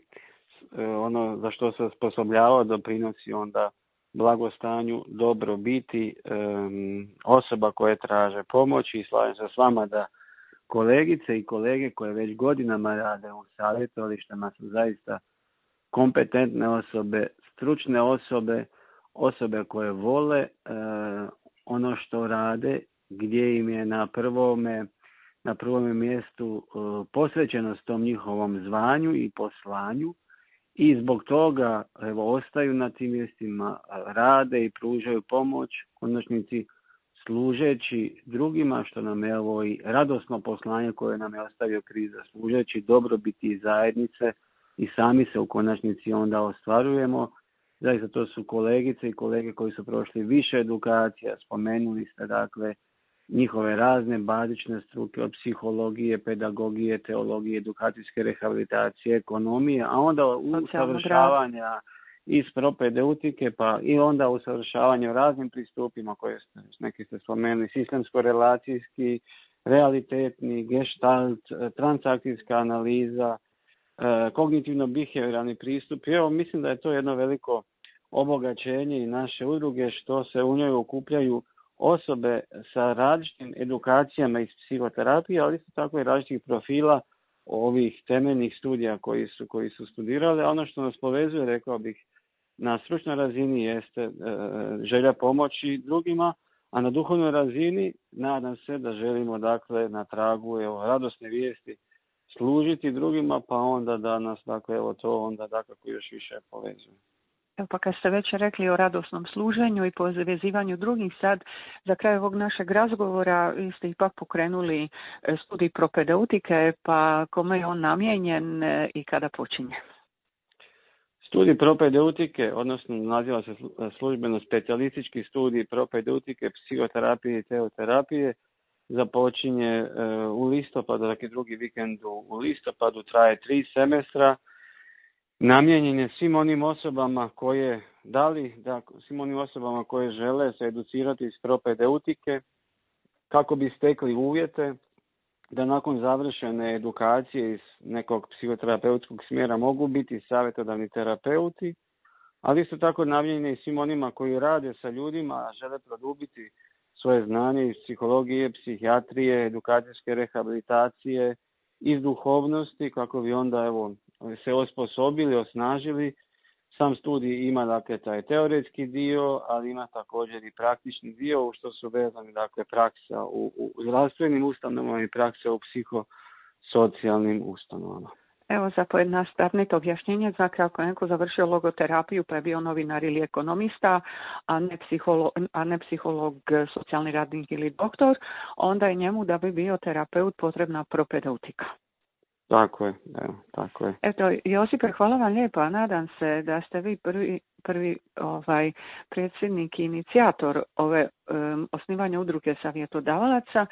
ono za što se osposobljava doprinosi onda blagostanju, dobrobiti um, osoba koje traže pomoć i slažem se s vama da kolegice i kolege koje već godinama rade u savjetovalištima su zaista kompetentne osobe, stručne osobe, osobe koje vole uh, ono što rade, gdje im je na prvome na prvome mjestu uh, posvećenost tom njihovom zvanju i poslanju. I zbog toga evo, ostaju na tim mjestima, rade i pružaju pomoć, konačnici služeći drugima, što nam je ovo i radosno poslanje koje nam je ostavio kriza, služeći dobrobiti zajednice i sami se u konačnici onda ostvarujemo. Zaista to su kolegice i kolege koji su prošli više edukacija, spomenuli ste dakle njihove razne bazične struke od psihologije, pedagogije, teologije, edukacijske rehabilitacije, ekonomije, a onda usavršavanja iz propedeutike, pa i onda usavršavanje u raznim pristupima koje ste, neki ste spomenuli, sistemsko-relacijski, realitetni, gestalt, transakcijska analiza, kognitivno-behavioralni pristup. I evo, mislim da je to jedno veliko obogaćenje i naše udruge što se u njoj okupljaju osobe sa različitim edukacijama iz psihoterapije, ali isto tako i različitih profila ovih temeljnih studija koji su, koji su studirali. A ono što nas povezuje, rekao bih, na stručnoj razini jeste e, želja pomoći drugima, a na duhovnoj razini nadam se da želimo dakle na tragu evo, radosne vijesti služiti drugima, pa onda da nas dakle evo to onda dakako još više povezuje. Evo pa kad ste već rekli o radosnom služenju i povezivanju drugih, sad za kraj ovog našeg razgovora vi ste ipak pokrenuli studij propedeutike, pa kome je on namijenjen i kada počinje? Studij propedeutike, odnosno naziva se službeno specijalistički studij propedeutike, psihoterapije i teoterapije, započinje u listopadu, dakle drugi vikend u listopadu, traje tri semestra. Namijenjen je svim onim osobama koje dali, da, svim onim osobama koje žele se educirati iz propedeutike kako bi stekli uvjete da nakon završene edukacije iz nekog psihoterapeutskog smjera mogu biti savjetodavni terapeuti, ali isto tako namijenjen je i svim onima koji rade sa ljudima, a žele produbiti svoje znanje iz psihologije, psihijatrije, edukacijske rehabilitacije, iz duhovnosti, kako bi onda evo se osposobili, osnažili. Sam studij ima dakle taj teoretski dio, ali ima također i praktični dio u što su vezani dakle praksa u, u zdravstvenim ustanovama i praksa u psihosocijalnim ustanovama. Evo za pojednostavnito objašnjenje, dakle ako neko završio logoterapiju pa je bio novinar ili ekonomista, a ne psiholog, a ne psiholog, socijalni radnik ili doktor, onda je njemu da bi bio terapeut potrebna propedeutika. Tako je, evo, tako je. Eto, Josipe, hvala vam lijepo. Nadam se da ste vi prvi, prvi ovaj, predsjednik i inicijator ove um, osnivanja udruge savjetodavalaca.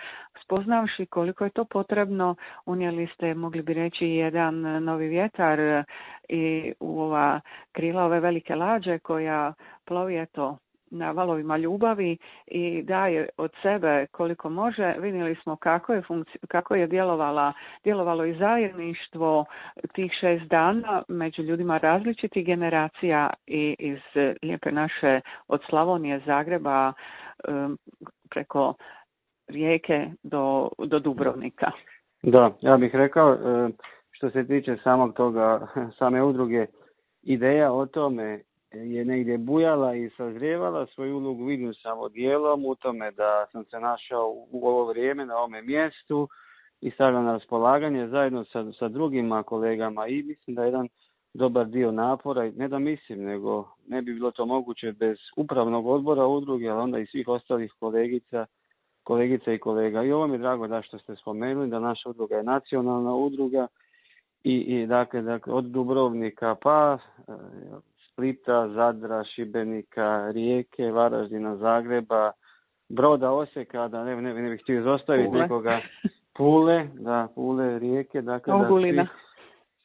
Spoznavši koliko je to potrebno, unijeli ste, mogli bi reći, jedan novi vjetar i u ova krila ove velike lađe koja plovi eto na valovima ljubavi i daje od sebe koliko može. Vidjeli smo kako je, funkci- kako je djelovala, djelovalo i zajedništvo tih šest dana među ljudima različitih generacija i iz lijepe naše od Slavonije, Zagreba um, preko Rijeke do, do Dubrovnika. Da, ja bih rekao što se tiče samog toga, same udruge, ideja o tome je negdje bujala i sazrijevala, svoju ulogu vidim samo dijelom u tome da sam se našao u ovo vrijeme na ovome mjestu i stavljam na raspolaganje zajedno sa, sa drugima kolegama i mislim da je jedan dobar dio napora, ne da mislim, nego ne bi bilo to moguće bez upravnog odbora udruge, ali onda i svih ostalih kolegica, kolegica i kolega. I ovo mi je drago da što ste spomenuli da naša udruga je nacionalna udruga i, i dakle, dakle od Dubrovnika pa Splita, Zadra, Šibenika, Rijeke, Varaždina, Zagreba, Broda, Osijeka, da ne, ne, ne bih htio izostaviti Pule. nekoga, Pule, da, Pule, Rijeke, dakle da svi,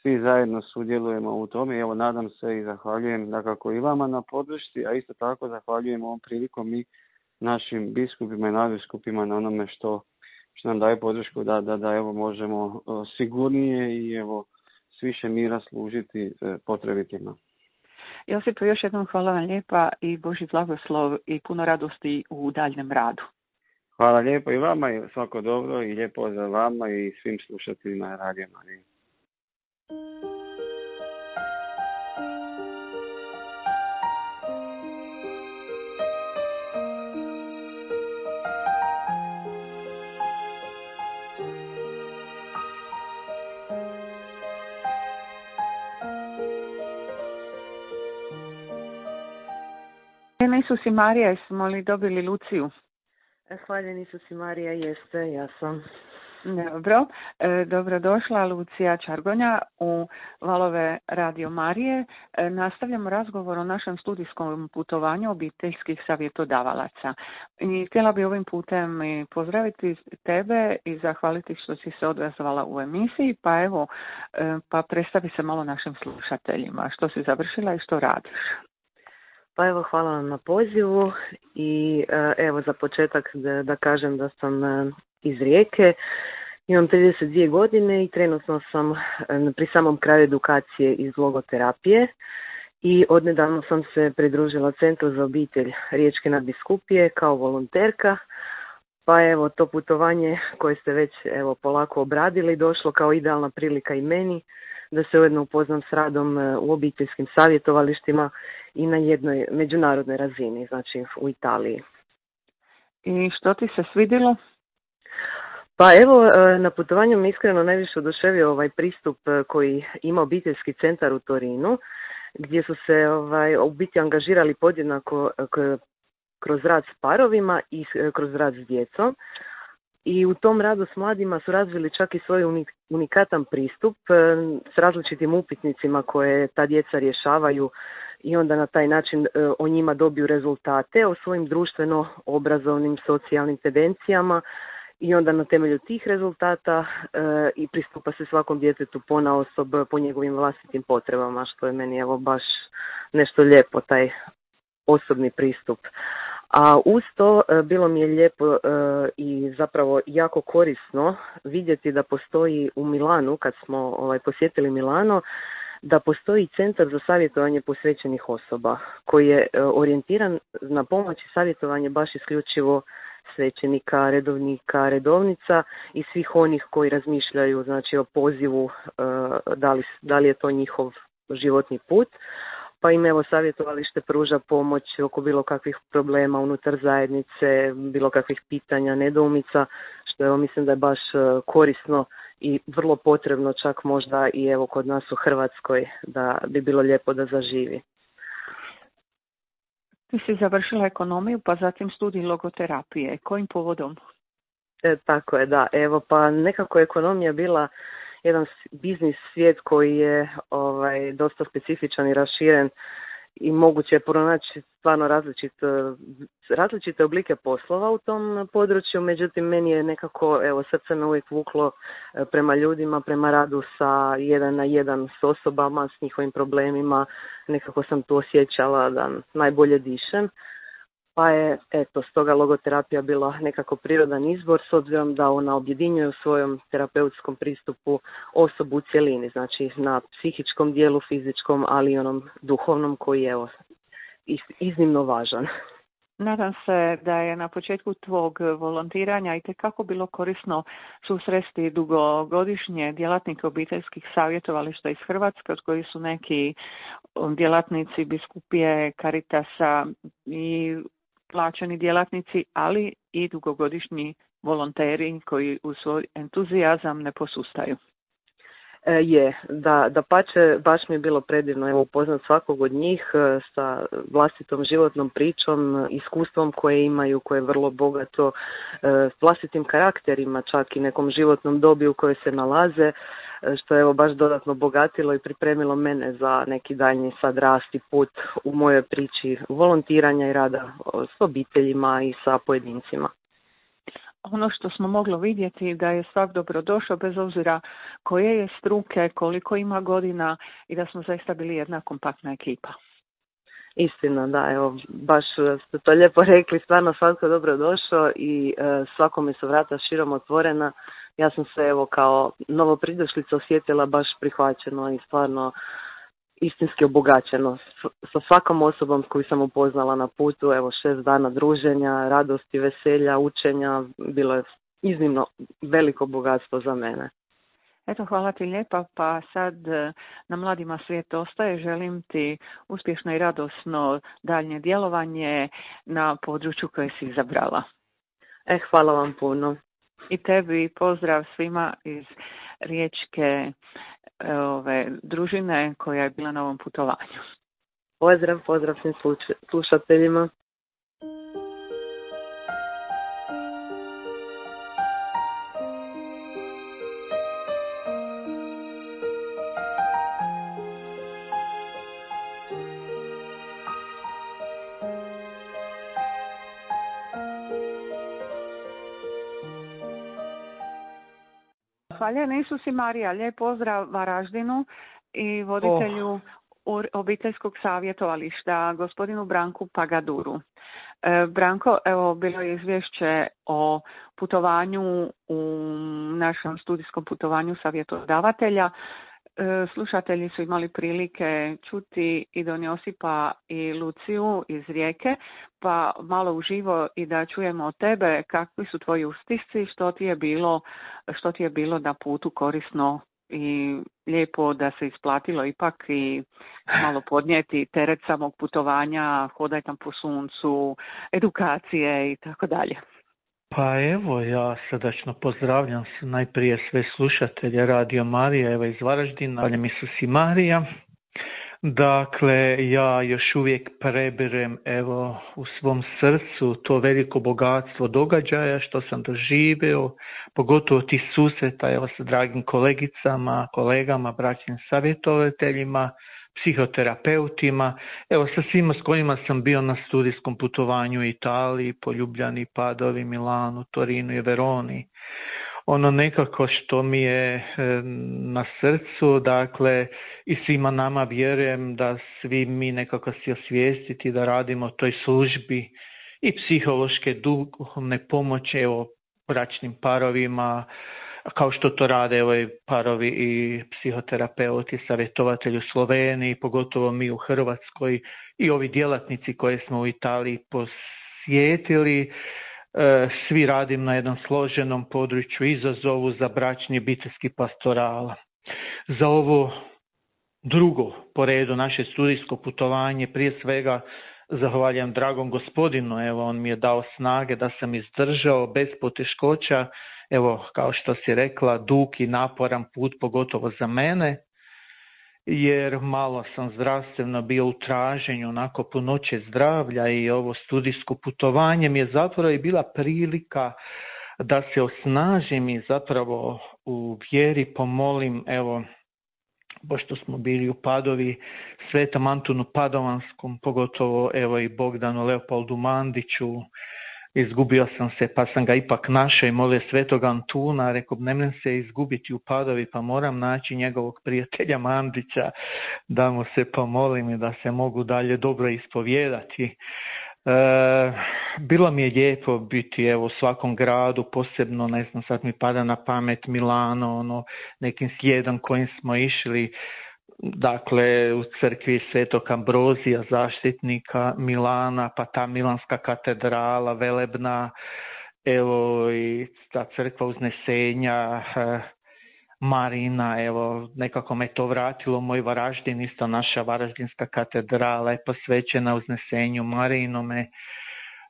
svi zajedno sudjelujemo u tome. Evo, nadam se i zahvaljujem dakako i vama na podršci, a isto tako zahvaljujem ovom prilikom i našim biskupima i nadbiskupima na onome što, što nam daje podršku da, da, da evo možemo sigurnije i evo s više mira služiti potrebitima. Josipo, još jednom hvala vam lijepa i Božji blagoslov i puno radosti u daljnjem radu. Hvala lijepo i vama i svako dobro i lijep pozdrav vama i svim slušateljima Radio Marije. Isus i Marija, jesmo li dobili Luciju? Hvaljen Isus i Marija, jeste, ja sam. Dobro, e, dobrodošla Lucija Čargonja u Valove Radio Marije. E, nastavljamo razgovor o našem studijskom putovanju obiteljskih savjetodavalaca. I htjela bi ovim putem i pozdraviti tebe i zahvaliti što si se odazvala u emisiji, pa evo, e, pa predstavi se malo našim slušateljima, što si završila i što radiš. Pa evo, hvala vam na pozivu i evo za početak da, da kažem da sam iz Rijeke, imam trideset dvije godine i trenutno sam pri samom kraju edukacije iz logoterapije i odnedavno sam se pridružila Centru za obitelj Riječke nadbiskupije kao volonterka, pa evo to putovanje koje ste već evo polako obradili došlo kao idealna prilika i meni da se ujedno upoznam s radom u obiteljskim savjetovalištima i na jednoj međunarodnoj razini, znači u Italiji. I što ti se svidjelo? Pa evo, na putovanju mi iskreno najviše oduševio ovaj pristup koji ima obiteljski centar u Torinu, gdje su se ovaj, u biti angažirali podjednako kroz rad s parovima i kroz rad s djecom. I u tom radu s mladima su razvili čak i svoj unikatan pristup s različitim upitnicima koje ta djeca rješavaju i onda na taj način o njima dobiju rezultate, o svojim društveno-obrazovnim socijalnim tendencijama i onda na temelju tih rezultata i pristupa se svakom djetetu ponaosob po njegovim vlastitim potrebama, što je meni evo baš nešto lijepo, taj osobni pristup. A uz to bilo mi je lijepo i zapravo jako korisno vidjeti da postoji u Milanu, kad smo ovaj, posjetili Milano, da postoji centar za savjetovanje posvećenih osoba koji je orijentiran na pomoć i savjetovanje baš isključivo svećenika, redovnika, redovnica i svih onih koji razmišljaju znači o pozivu da li, da li je to njihov životni put. Pa im evo savjetovalište pruža pomoć oko bilo kakvih problema unutar zajednice, bilo kakvih pitanja, nedoumica, što evo mislim da je baš korisno i vrlo potrebno čak možda i evo kod nas u Hrvatskoj da bi bilo lijepo da zaživi. Ti si završila ekonomiju pa zatim studij logoterapije. Kojim povodom? E, tako je, da. Evo pa nekako ekonomija bila jedan biznis svijet koji je ovaj, dosta specifičan i raširen i moguće je pronaći stvarno različit, različite oblike poslova u tom području, međutim meni je nekako, evo srce me uvijek vuklo prema ljudima, prema radu sa jedan na jedan s osobama, s njihovim problemima, nekako sam tu osjećala da najbolje dišem. Pa je, eto, stoga logoterapija bila nekako prirodan izbor s obzirom da ona objedinjuje u svojom terapeutskom pristupu osobu u cjelini, znači na psihičkom dijelu, fizičkom, ali i onom duhovnom koji je evo, iznimno važan. Nadam se da je na početku tvog volontiranja itekako bilo korisno susresti dugogodišnje djelatnike obiteljskih savjetovališta iz Hrvatske, od koji su neki djelatnici biskupije, Caritasa i plaćeni djelatnici, ali i dugogodišnji volonteri koji u svoj entuzijazam ne posustaju. E, je, da, da pače, baš mi je bilo predivno evo, upoznat svakog od njih e, sa vlastitom životnom pričom, iskustvom koje imaju, koje je vrlo bogato, e, vlastitim karakterima, čak i nekom životnom dobi u kojoj se nalaze. što je evo baš dodatno obogatilo i pripremilo mene za neki daljnji sad rast i put u mojoj priči volontiranja i rada s obiteljima i sa pojedincima. Ono što smo mogli vidjeti da je svak dobrodošao bez obzira koje je struke, koliko ima godina i da smo zaista bili jedna kompaktna ekipa. Istina, da, evo, baš ste to lijepo rekli, stvarno svatko dobro došao i e, svakome su vrata širom otvorena. Ja sam se evo kao novopridošlica osjetila baš prihvaćeno i stvarno istinski obogaćeno sa svakom osobom koju sam upoznala na putu. Evo, šest dana druženja, radosti, veselja, učenja, bilo je iznimno veliko bogatstvo za mene. Eto, hvala ti lijepa, pa sad na Mladima svijet ostaje. Želim ti uspješno i radosno daljnje djelovanje na području koje si izabrala. E, hvala vam puno. I tebi pozdrav svima iz riječke ove, družine koja je bila na ovom putovanju. Pozdrav, pozdrav svim slušateljima. Zahvaljujem Isus i Marija, lijep pozdrav Varaždinu i voditelju oh. obiteljskog savjetovališta, gospodinu Branku Pagaduru. E, Branko, evo bilo je izvješće o putovanju u našem studijskom putovanju savjetodavatelja. E, slušatelji su imali prilike čuti i Don Josipa i Luciju iz Rijeke, pa malo uživo i da čujemo od tebe kakvi su tvoji ustisci, što ti je bilo, što ti je bilo na putu korisno i lijepo da se isplatilo ipak i malo podnijeti teret samog putovanja, hodaj tam po suncu, edukacije i tako dalje. Pa evo, ja srdačno pozdravljam se najprije sve slušatelje Radio Marija, evo iz Varaždina, Hvala Isus i Marija. Dakle, ja još uvijek prebirem evo u svom srcu to veliko bogatstvo događaja što sam doživio, pogotovo tih susreta evo sa dragim kolegicama, kolegama, braćnim savjetovateljima, psihoterapeutima, evo sa svima s kojima sam bio na studijskom putovanju u Italiji, po Ljubljani, Padovi, Milanu, Torinu i Veroni. Ono nekako što mi je e, na srcu, dakle i svima nama vjerujem da svi mi nekako si osvijestiti da radimo toj službi i psihološke duhovne pomoći evo bračnim parovima, kao što to rade evo i parovi i psihoterapeuti, savjetovatelji u Sloveniji, pogotovo mi u Hrvatskoj i ovi djelatnici koje smo u Italiji posjetili. Svi radim na jednom složenom području izazovu za bračni obiteljski pastoral. Za ovo drugo po redu naše studijsko putovanje prije svega zahvaljujem dragom gospodinu, evo on mi je dao snage da sam izdržao bez poteškoća, evo kao što si rekla, dug i naporan put pogotovo za mene, jer malo sam zdravstveno bio u traženju onako punoće zdravlja i ovo studijsko putovanje mi je zapravo i bila prilika da se osnažim i zapravo u vjeri pomolim, evo, pošto smo bili u Padovi, Svetom Antunu Padovanskom, pogotovo evo i Bogdanu Leopoldu Mandiću, izgubio sam se pa sam ga ipak našao i molio Svetog Antuna, rekao ne mrem se izgubiti u Padovi pa moram naći njegovog prijatelja Mandića da mu se pomolim i da se mogu dalje dobro ispovijedati. E, bilo mi je lijepo biti evo u svakom gradu, posebno ne znam sad mi pada na pamet Milano, ono nekim slijedom kojim smo išli, dakle u crkvi Svetog Ambrozija, zaštitnika Milana, pa ta Milanska katedrala velebna, evo i ta crkva Uznesenja, Marina, evo nekako me to vratilo, moj Varaždin, isto naša Varaždinska katedrala je posvećena Uznesenju Marinome.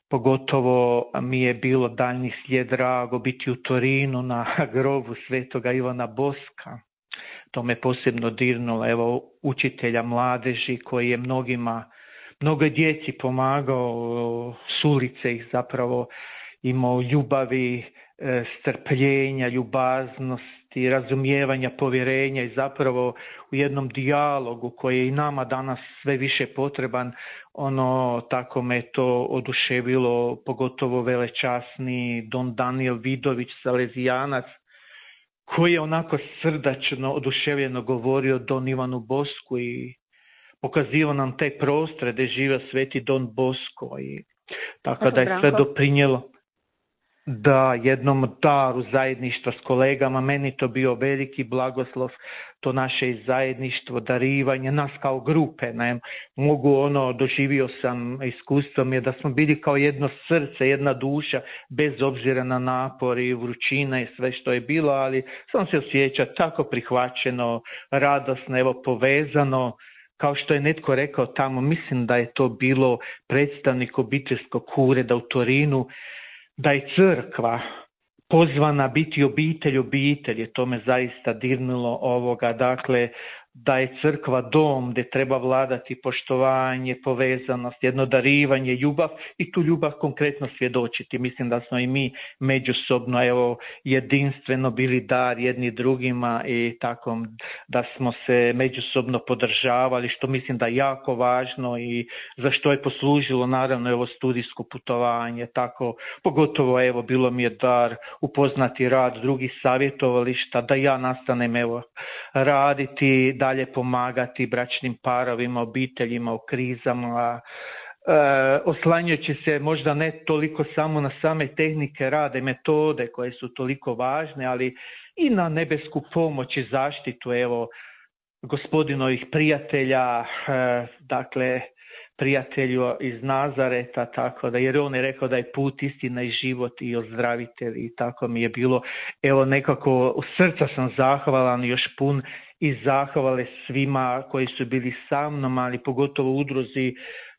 Pogotovo mi je bilo daljnji slijed drago biti u Torinu na grobu Svetoga Ivana Boska. To me posebno dirnulo, evo učitelja mladeži koji je mnogima, mnogo djeci pomagao, s ulice ih zapravo imao ljubavi, strpljenja, ljubaznost pravednosti, razumijevanja, povjerenja i zapravo u jednom dijalogu koji je i nama danas sve više potreban, ono tako me to oduševilo, pogotovo velečasni don Daniel Vidović, Salezijanac, koji je onako srdačno, oduševljeno govorio don Ivanu Bosku i pokazivao nam te prostore gdje živio sveti don Bosko. I tako da je sve doprinjelo da jednom daru zajedništva s kolegama, meni to bio veliki blagoslov, to naše zajedništvo, darivanje, nas kao grupe, ne, mogu ono, doživio sam, iskustvom je da smo bili kao jedno srce, jedna duša, bez obzira na napor i vrućina i sve što je bilo, ali sam se osjeća tako prihvaćeno, radosno, evo povezano, kao što je netko rekao tamo, mislim da je to bilo predstavnik obiteljskog ureda u Torinu, da je crkva pozvana biti obitelj obitelji, to me zaista dirnulo ovoga, dakle da je crkva dom gdje treba vladati poštovanje, povezanost, jedno darivanje, ljubav i tu ljubav konkretno svjedočiti. Mislim da smo i mi međusobno evo jedinstveno bili dar jedni drugima i tako da smo se međusobno podržavali, što mislim da je jako važno i za što je poslužilo naravno evo studijsko putovanje, tako pogotovo evo bilo mi je dar upoznati rad drugih savjetovališta, da ja nastanem evo raditi, dalje pomagati bračnim parovima, obiteljima u krizama, e, oslanjajući se možda ne toliko samo na same tehnike rada i metode koje su toliko važne, ali i na nebesku pomoć i zaštitu evo gospodinovih prijatelja, e, dakle prijatelju iz Nazareta, tako da, jer on je rekao da je put, istina i život i ozdravitelj i tako mi je bilo, evo nekako u srca sam zahvalan još pun i zahvale svima koji su bili sa mnom, ali pogotovo udruzi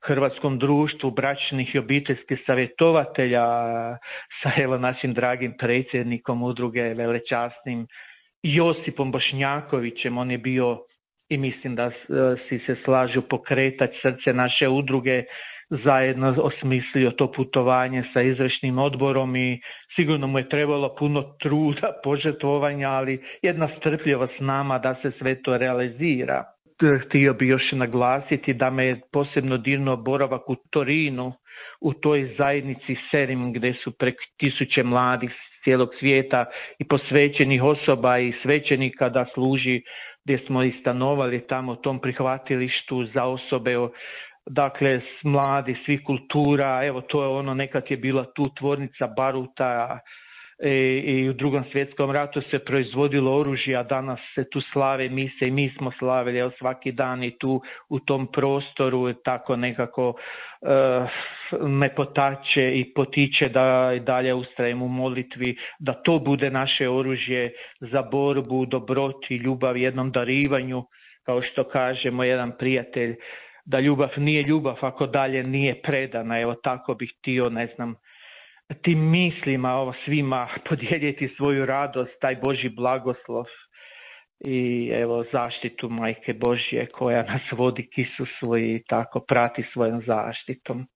Hrvatskom društvu bračnih i obiteljskih savjetovatelja sa evo našim dragim predsjednikom udruge velečasnim Josipom Bošnjakovićem, on je bio i mislim da si se slažu pokretać srce naše udruge, zajedno osmislio to putovanje sa izvršnim odborom i sigurno mu je trebalo puno truda, požrtvovanja, ali jedna strpljivost s nama da se sve to realizira. Htio bi još naglasiti da me je posebno dirnuo boravak u Torinu, u toj zajednici Serim gdje su preko tisuće mladih cijelog svijeta i posvećenih osoba i svećenika da služi, gdje smo i stanovali tamo u tom prihvatilištu za osobe, dakle mladi svih kultura, evo to je ono, nekad je bila tu tvornica baruta i, i u Drugom svjetskom ratu se proizvodilo oružje, a danas se tu slave mise i mi smo slavili evo, svaki dan i tu u tom prostoru, tako nekako uh, me potače i potiče da i dalje ustrajem u molitvi, da to bude naše oružje za borbu, dobroti, ljubav, jednom darivanju, kao što kažemo jedan prijatelj, da ljubav nije ljubav ako dalje nije predana. Evo tako bih htio, ne znam, tim mislima ovo svima podijeliti svoju radost, taj Božji blagoslov i evo zaštitu Majke Božje koja nas vodi k Isusu i tako prati svojom zaštitom.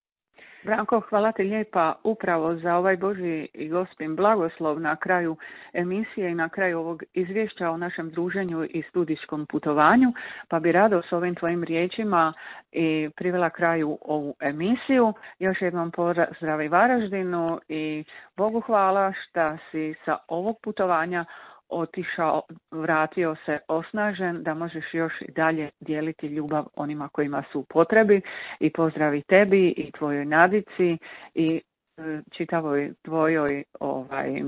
Branko, hvala ti lijepa upravo za ovaj Božji i Gospin blagoslov na kraju emisije i na kraju ovog izvješća o našem druženju i studijskom putovanju, pa bi rado s ovim tvojim riječima i privela kraju ovu emisiju. Još jednom pozdrav Varaždinu i Bogu hvala što si sa ovog putovanja otišao, vratio se osnažen, da možeš još i dalje dijeliti ljubav onima kojima su u potrebi i pozdravi tebi i tvojoj Nadici i čitavoj tvojoj ovaj,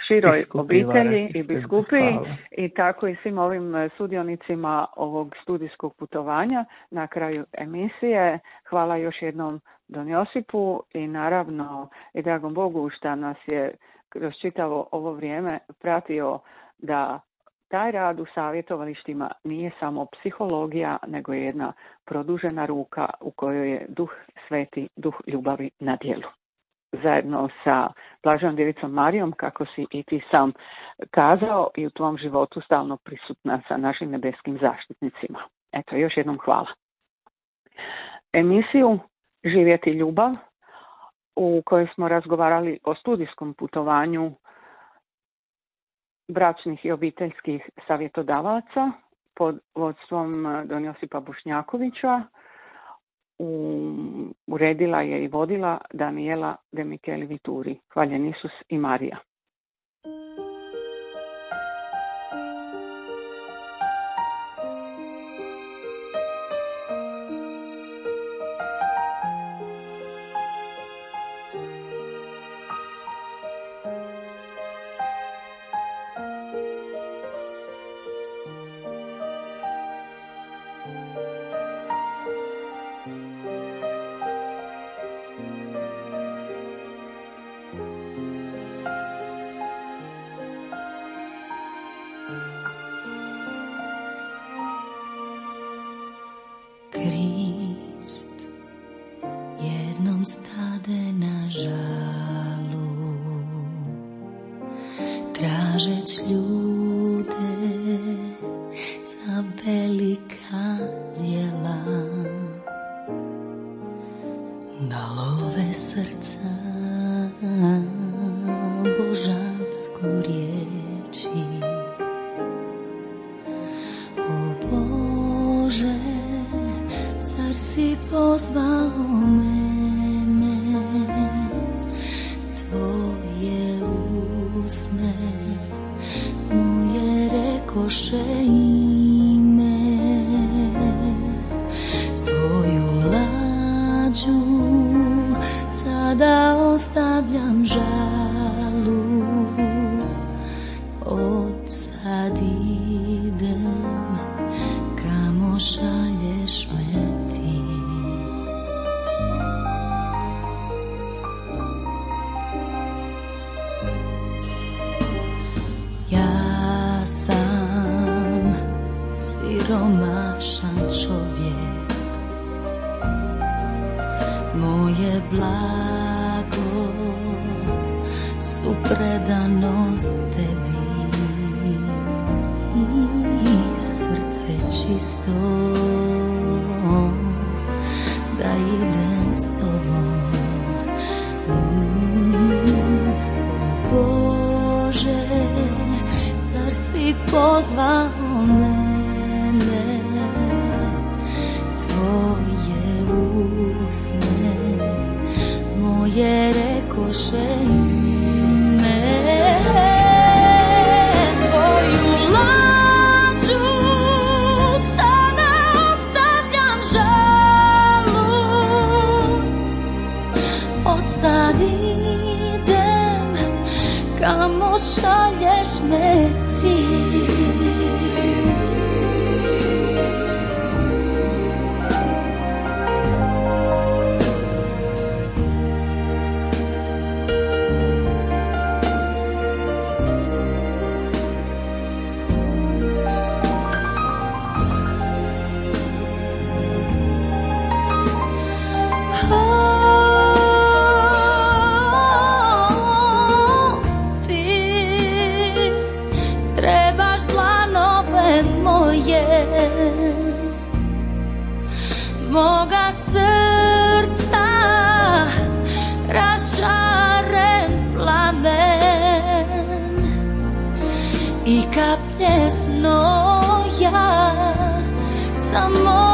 široj biskupi, obitelji i biskupiji i tako i svim ovim sudionicima ovog studijskog putovanja na kraju emisije. Hvala još jednom don Josipu i naravno i dragom Bogu što nas je kroz čitavo ovo vrijeme pratio da taj rad u savjetovalištima nije samo psihologija, nego je jedna produžena ruka u kojoj je Duh Sveti, Duh ljubavi na djelu. Zajedno sa Blaženom Djevicom Marijom, kako si i ti sam kazao, i u tvom životu stalno prisutna sa našim nebeskim zaštitnicima. Eto, još jednom hvala. Emisiju Živjeti ljubav, u kojoj smo razgovarali o studijskom putovanju bračnih i obiteljskih savjetodavaca pod vodstvom don Josipa Bošnjakovića. U, uredila je i vodila Daniela de Micheli Vituri. Hvaljen Isus i Marija. I kaplje znoja samo